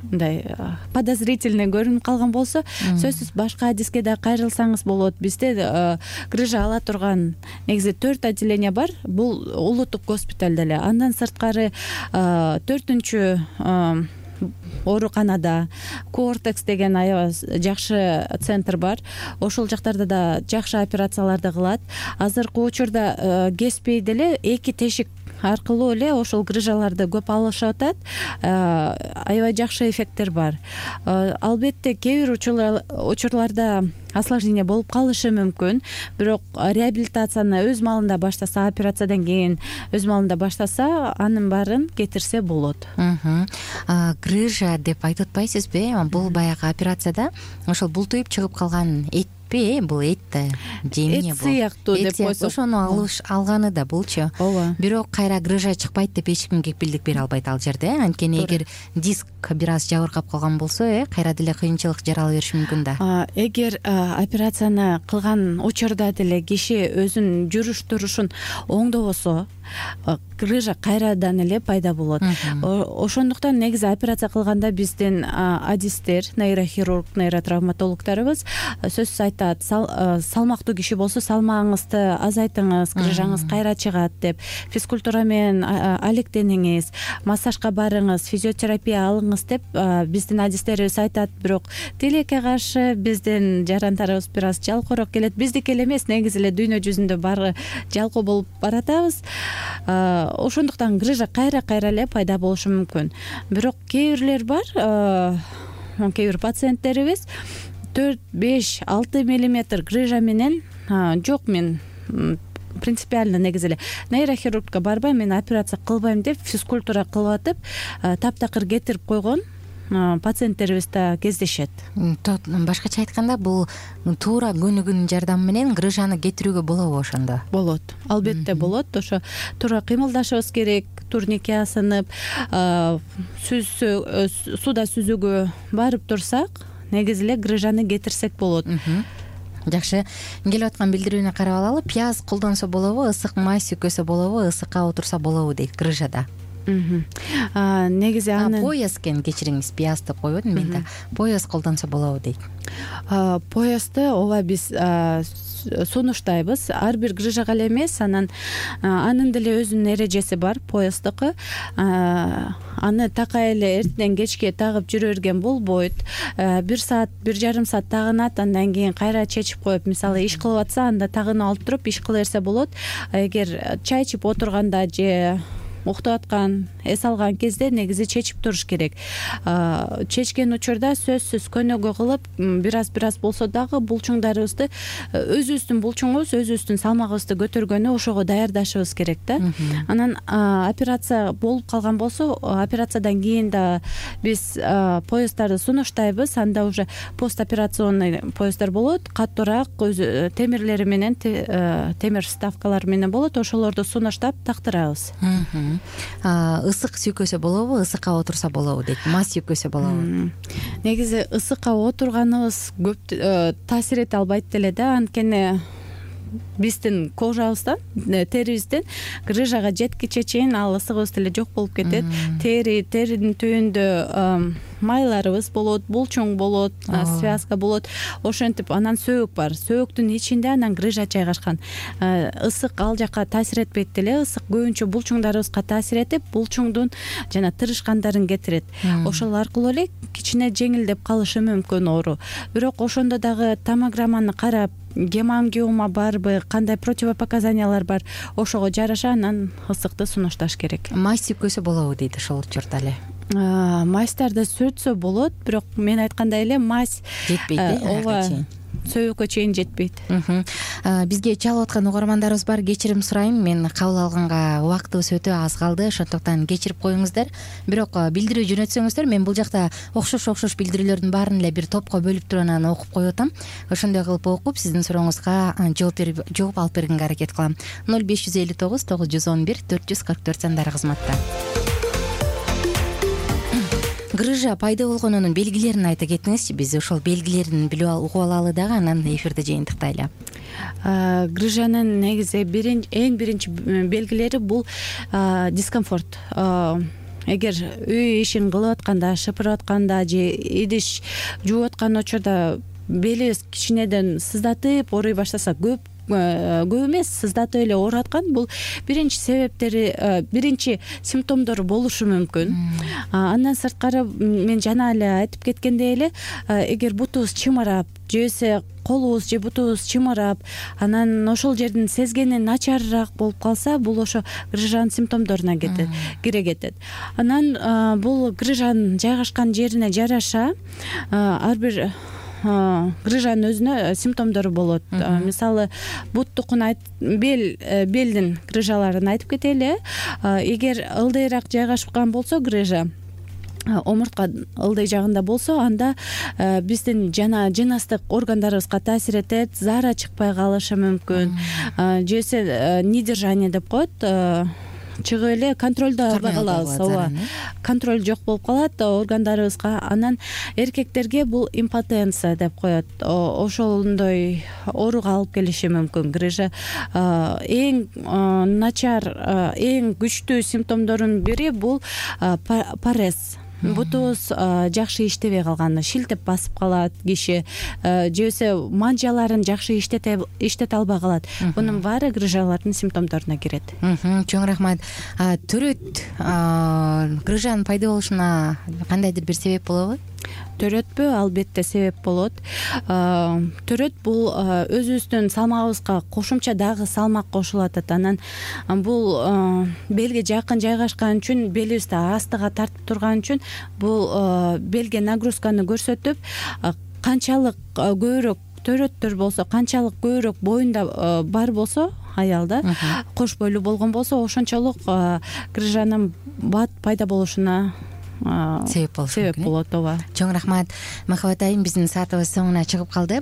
Speaker 3: мындай подозрительный көрүнүп калган болсо, сөзсүз башка адиске да кайрылсаңыз болот. Бизде грыжа ала турган негизи төрт отделение бар. Бул улуттук госпиталда эле. Андан сырткары төртүнчү ооруканада Кортекс деген аябай жакшы центр бар. Ошол жактарда да жакшы операцияларды кылат. Азыркы учурда кеспей деле эки тешик аркылуу эле ошол грыжаларды көп алышып атат. Аябай жакшы эффекттер бар. Албетте кээ бир учурларда осложнение болуп калышы мүмкүн, бирок реабилитацияны өз маалында баштаса, операциядан кийин өз маалында баштаса, анын баарын кетирсе болот.
Speaker 2: Грыжа деп айтып атпайсызбы? Бул баягы операцияда ошол бултуйуп чыгып калган эт бул эт да, жемне бул.
Speaker 3: Эт сыяктуу деп койсок.
Speaker 2: Ошону алыш алганы да булчу.
Speaker 3: Ооба.
Speaker 2: Бирок кайра грыжа чыкпайт деп эч ким кепилдик бере албайт ал жерде. Анткени эгер диск бир аз жабыркап калган болсо, э, кайра деле кыйынчылык жарала бериши мүмкүн да.
Speaker 3: Эгер операцияны кылган учурда деле киши өзүнүн жүрүш турушун оңдобосо, грыжа кайрадан эле пайда болот. Ошондуктан негизи операция кылганда биздин адистер, нейрохирург, нейротравматологдорубуз сөзсүз айтат, салмактуу киши болсо салмагыңызды азайтыңыз, грыжаңыз кайра чыгат деп, физкультура менен алектениңиз, массажга барыңыз, физиотерапия алыңыз деп биздин адистерибиз айтат. Бирок тилекке каршы биздин жарандарыбыз бир аз жалкоорок келет. Биздики эле эмес, негизи эле дүйнө жүзүндө баары жалкоо болуп баратабыз. Ошондуктан грыжа кайра кайра эле пайда болушу мүмкүн. Бирок кээ бирлер бар, кээ бир пациенттерибиз төрт, беш, алты миллиметр грыжа менен жок, мен принципиально негизи эле нейрохирургка барбайм, мен операция кылбайм деп физкультура кылып атып, таптакыр кетирип койгон пациенттерибиз да кездешет.
Speaker 2: Башкача айтканда, бул туура көнүгүүнүн жардамы менен грыжаны кетирүүгө болобу ошондо? Болот,
Speaker 3: албетте болот. Ошо туура кыймылдашыбыз керек, турникке асынып, сууда сүзүүгө барып турсак, негизи эле грыжаны кетирсек болот.
Speaker 2: Жакшы, келип аткан билдирүүнү карап алалы. Пияз колдонсо болобу, ысык май сүйкөсө болобу, ысыкка отурса болобу дейт грыжада.
Speaker 3: Негизи аны
Speaker 2: пояс экен, кечириңиз, пиязды койбодум мен да. Пояс колдонсо болобу дейт.
Speaker 3: Поясты ооба биз сунуштайбыз. Ар бир грыжага эле эмес, анан анын деле өзүнүн эрежеси бар, поястыкы. Аны такай эле эртеден кечке тагып жүрө берген болбойт. Бир саат, бир жарым саат тагынат, андан кийин кайра чечип коюп, мисалы иш кылып атса, анда тагынып алып туруп иш кыла берсе болот. Эгер чай ичип отурганда же уктап аткан, эс алган кезде негизи чечип туруш керек. Чечкен учурда сөзсүз көнөгө кылып, бир аз бир аз болсо дагы булчуңдарыбызды, өзүбүздүн булчуңубуз, өзүбүздүн салмагыбызды көтөргөнү ошого даярдашыбыз керек да. Анан операция болуп калган болсо, операциядан кийин да биз поястарды сунуштайбыз. Анда уже постоперационный поястар болот, катуураак, өзү темирлери менен, темир вставкалар менен болот. Ошолорду сунуштап тактырабыз.
Speaker 2: Ысык сүйкөсө болобу, ысыкка отурса болобу дейт. Мас сүйкөсө болобу?
Speaker 3: Негизи ысыкка отурганыбыз көп таасир эте албайт деле да, анткени биздин кожабыздан, терибизден грыжага жеткиче чейин ал ысыгыбыз деле жок болуп кетет. Тери, теринин түбүндө майларыбыз болот, булчуң болот, связка болот. Ошентип анан сөөгүк бар. Сөөгүктүн ичинде анан грыжа жайгашкан. Ысык ал жака таасир этпейт деле. Ысык көбүнчө булчуңдарыбызга таасир этип, булчуңдун жана тырышкандарын кетирет. Ошол аркылуу эле кичине жеңилдеп калышы мүмкүн оору. Бирок ошондо дагы томограмманы карап, гемангиома барбы, кандай противопоказаниялар бар, ошого жараша анан ысыкты сунушташ керек.
Speaker 2: Май сүйкөсө болобу дейт ошол учурда эле.
Speaker 3: Майстарды сүртсө болот, бирок мен айткандай эле мазь
Speaker 2: жетпейт,
Speaker 3: ооба, сөөгүккө чейин жетпейт.
Speaker 2: Бизге чалып аткан угармандарыбыз бар, кечирим сурайм. Мен кабыл алганга убактыбыз өтө аз калды, ошондуктан кечирип коюңуздар. Бирок билдирүү жөнөтсөңүздөр, мен бул жакта окшош окшош билдирүүлөрдүн баарын эле бир топко бөлүп туруп анан окуп коюп атам. Ошондой кылып окуп, сиздин сурооңузга жооп берип, жооп алып бергенге аракет кылам. ноль беш жүз элүү тогуз тогуз жүз он бир төрт жүз кырк төрт сандары кызматта. Грыжа пайда болгонунун белгилерин айта кетиңизчи. Биз ошол белгилерин билип угуп алалы дагы, анан эфирди жыйынтыктайлы.
Speaker 3: Грыжанын негизи эң биринчи белгилери бул дискомфорт. Эгер үй ишин кылып атканда, шыпырып атканда же идиш жууп аткан учурда белибиз кичинеден сыздатып, ооруй баштаса, көп көп эмес, сыздатып эле ооруп аткан, бул биринчи себептери, биринчи симптомдору болушу мүмкүн. Андан сырткары, мен жана эле айтып кеткендей эле, эгер бутубуз чымырап, же колубуз же бутубуз чымырап, анан ошол жердин сезгени начарыраак болуп калса, бул ошо грыжанын симптомдоруна кетет, кире кетет. Анан бул грыжанын жайгашкан жерине жараша ар бир грыжанын өзүнө симптомдору болот. Мисалы, буттукун бел белдин грыжаларын айтып кетели. Эгер ылдыйраак жайгашкан болсо грыжа, омуртка ылдый жагында болсо, анда биздин жана жыныстык органдарыбызга таасир этет, заара чыкпай калышы мүмкүн. Жесе недержание деп коет. чыгып эле контролдо албай калабыз. ооба, контроль жок болуп калат органдарыбызга. Анан эркектерге бул импотенция деп коет. Ошондой ооруга алып келиши мүмкүн грыжа. Эң начар, эң күчтүү симптомдордун бири бул парез. Бутубуз жакшы иштебей калганы, шилтеп басып калат киши, же болбосо манжаларын жакшы иштете иштете албай калат. Бунун баары грыжалардын симптомдоруна кирет.
Speaker 2: Чоң рахмат. Төрөт грыжанын пайда болушуна кандайдыр бир себеп болобу?
Speaker 3: Төрөтпү? Албетте себеп болот. Төрөт бул өзүбүздүн салмагыбызга кошумча дагы салмак кошулат. Анан бул белге жакын жайгашкан үчүн, белибизди астыга тартып турган үчүн бул белге нагрузканы көрсөтүп, канчалык көбүрөөк төрөттөр болсо, канчалык көбүрөөк боюнда бар болсо аялда, кош бойлуу болгон болсо, ошончолук грыжанын бат пайда болушуна себеп болушу себеп болот. ооба.
Speaker 2: Чоң рахмат. Махабат айым, биздин саатыбыз соңуна чыгып калды.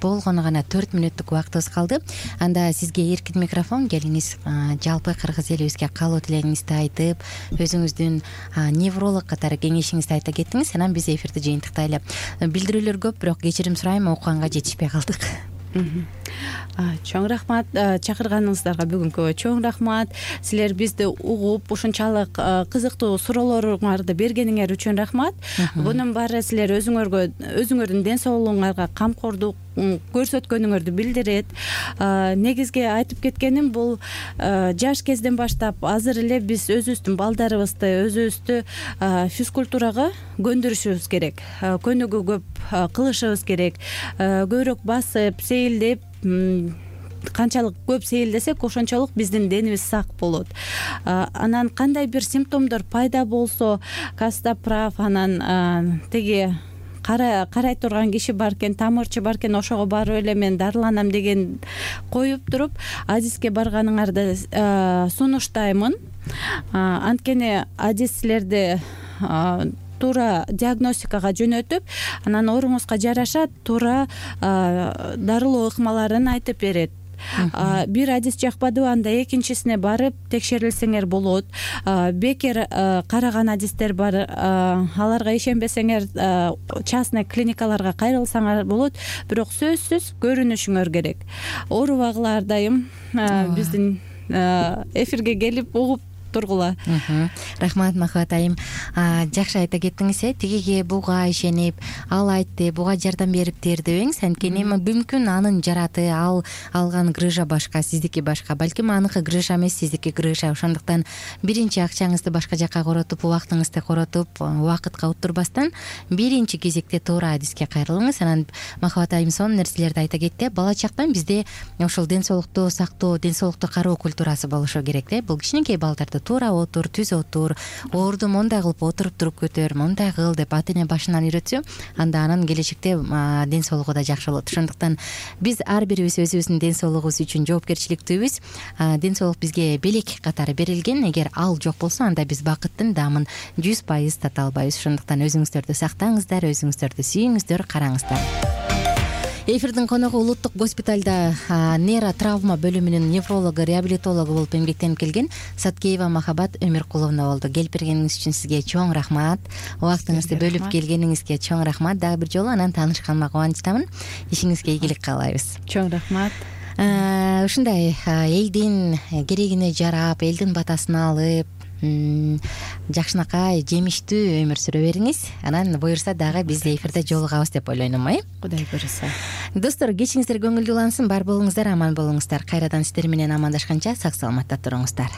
Speaker 2: Болгону гана төрт мүнөттүк убактыбыз калды. Анда сизге эркин микрофон, келиңиз жалпы кыргыз элибизге каалоо тилегиңизди айтып, өзүңүздүн невролог катары кеңешиңизди айта кеттиңиз. Анан биз эфирди жыйынтыктайлы. Билдирүүлөр көп, бирок кечирим сурайм, окуганга жетишпей калдык.
Speaker 3: Чоң рахмат, чакырганыңыздарга бүгүнкү чоң рахмат. Силер бизди угуп, ушунчалык кызыктуу суроолоруңарды бергениңер үчүн рахмат. Бунун баары силер өзүңөргө, өзүңөрдүн ден соолугуңарга камкордук көрсөткөнүңөрдү билдирет. Негизги айтып кеткеним бул жаш кезден баштап азыр эле биз өзүбүздүн балдарыбызды, өзүбүздү физкультурага көндүрүшүбүз керек. Көнүгүү көп кылышыбыз керек. Көбүрөөк басып, сейилдеп, канчалык көп сейилдесек, ошончолук биздин денибиз сак болот. Анан кандай бир симптомдор пайда болсо, Кастаправ, анан теги карай турган киши бар экен, тамырчы бар экен, ошого барып эле мен дарыланам деген коюп туруп, адиске барганыңарды сунуштаймын. Анткени адис силерди туура диагностикага жөнөтүп, анан ооруңузга жараша туура дарылоо ыкмаларын айтып берет. Бир адис жакпадыбы, анда экинчисине барып текшерилсеңер болот. Бекер караган адистер бар, аларга ишенбесеңер частный клиникаларга кайрылсаңар болот, бирок сөзсүз көрүнүшүңөр керек. Оорубагыла ар дайым биздин эфирге келип угуп тургула.
Speaker 2: Рахмат Махабат айым. Жакшы айта кеттиңиз, э, тигиге буга ишенип, ал айтты, буга жардам бериптир дебеңиз. Анткени мүмкүн анын жараты, ал алган грыжа башка, сиздики башка. Балким аныкы грыжа эмес, сиздики грыжа. Ошондуктан биринчи акчаңызды башка жакка коротуп, убактыңызды коротуп, убакытка утурбастан биринчи кезекте туура адиске кайрылыңыз. Анан Махабат айым сонун нерселерди айта кетти. Бала чактан бизде ошол ден соолукту сактоо, ден соолукту кароо культурасы болушу керек да. Бул кичинекей балдарды туура отур, түз отур, оорду мондай кылып отуруп туруп көтөр, мондай кыл деп ата эне башынан үйрөтсө, анда анын келечекте ден соолугу да жакшы болот. Ошондуктан биз ар бирибиз өзүбүздүн ден соолугубуз үчүн жоопкерчиликтүүбүз. Ден соолук бизге белек катары берилген. Эгер ал жок болсо, анда биз бакыттын даамын жүз пайыз тата албайбыз. Ошондуктан өзүңүздөрдү сактаңыздар, өзүңүздөрдү сүйүңүздөр, караңыздар. Эфирдин коногу улуттук госпиталда нейротравма бөлүмүнүн неврологу, реабилитологу болуп эмгектенип келген Саткеева Махабат Өмүркуловна болду. Келип бергениңиз үчүн сизге чоң рахмат. Убактыңызды бөлүп келгениңизге чоң рахмат. Дагы бир жолу анан таанышканыма кубанычтамын. Ишиңизге ийгилик каалайбыз.
Speaker 3: Чоң рахмат.
Speaker 2: Ушундай элдин керегине жарап, элдин батасын алып, жакшынакай жемиштүү өмүр сүрө бериңиз. Анан буюрса дагы биз эфирде жолугабыз деп ойлойм, э?
Speaker 3: Кудай буюрса.
Speaker 2: Достор, кечиңиздер көңүлдүү улансын, бар болуңуздар, аман болуңуздар. Кайрадан сиздер менен амандашканча сак саламатта туруңуздар.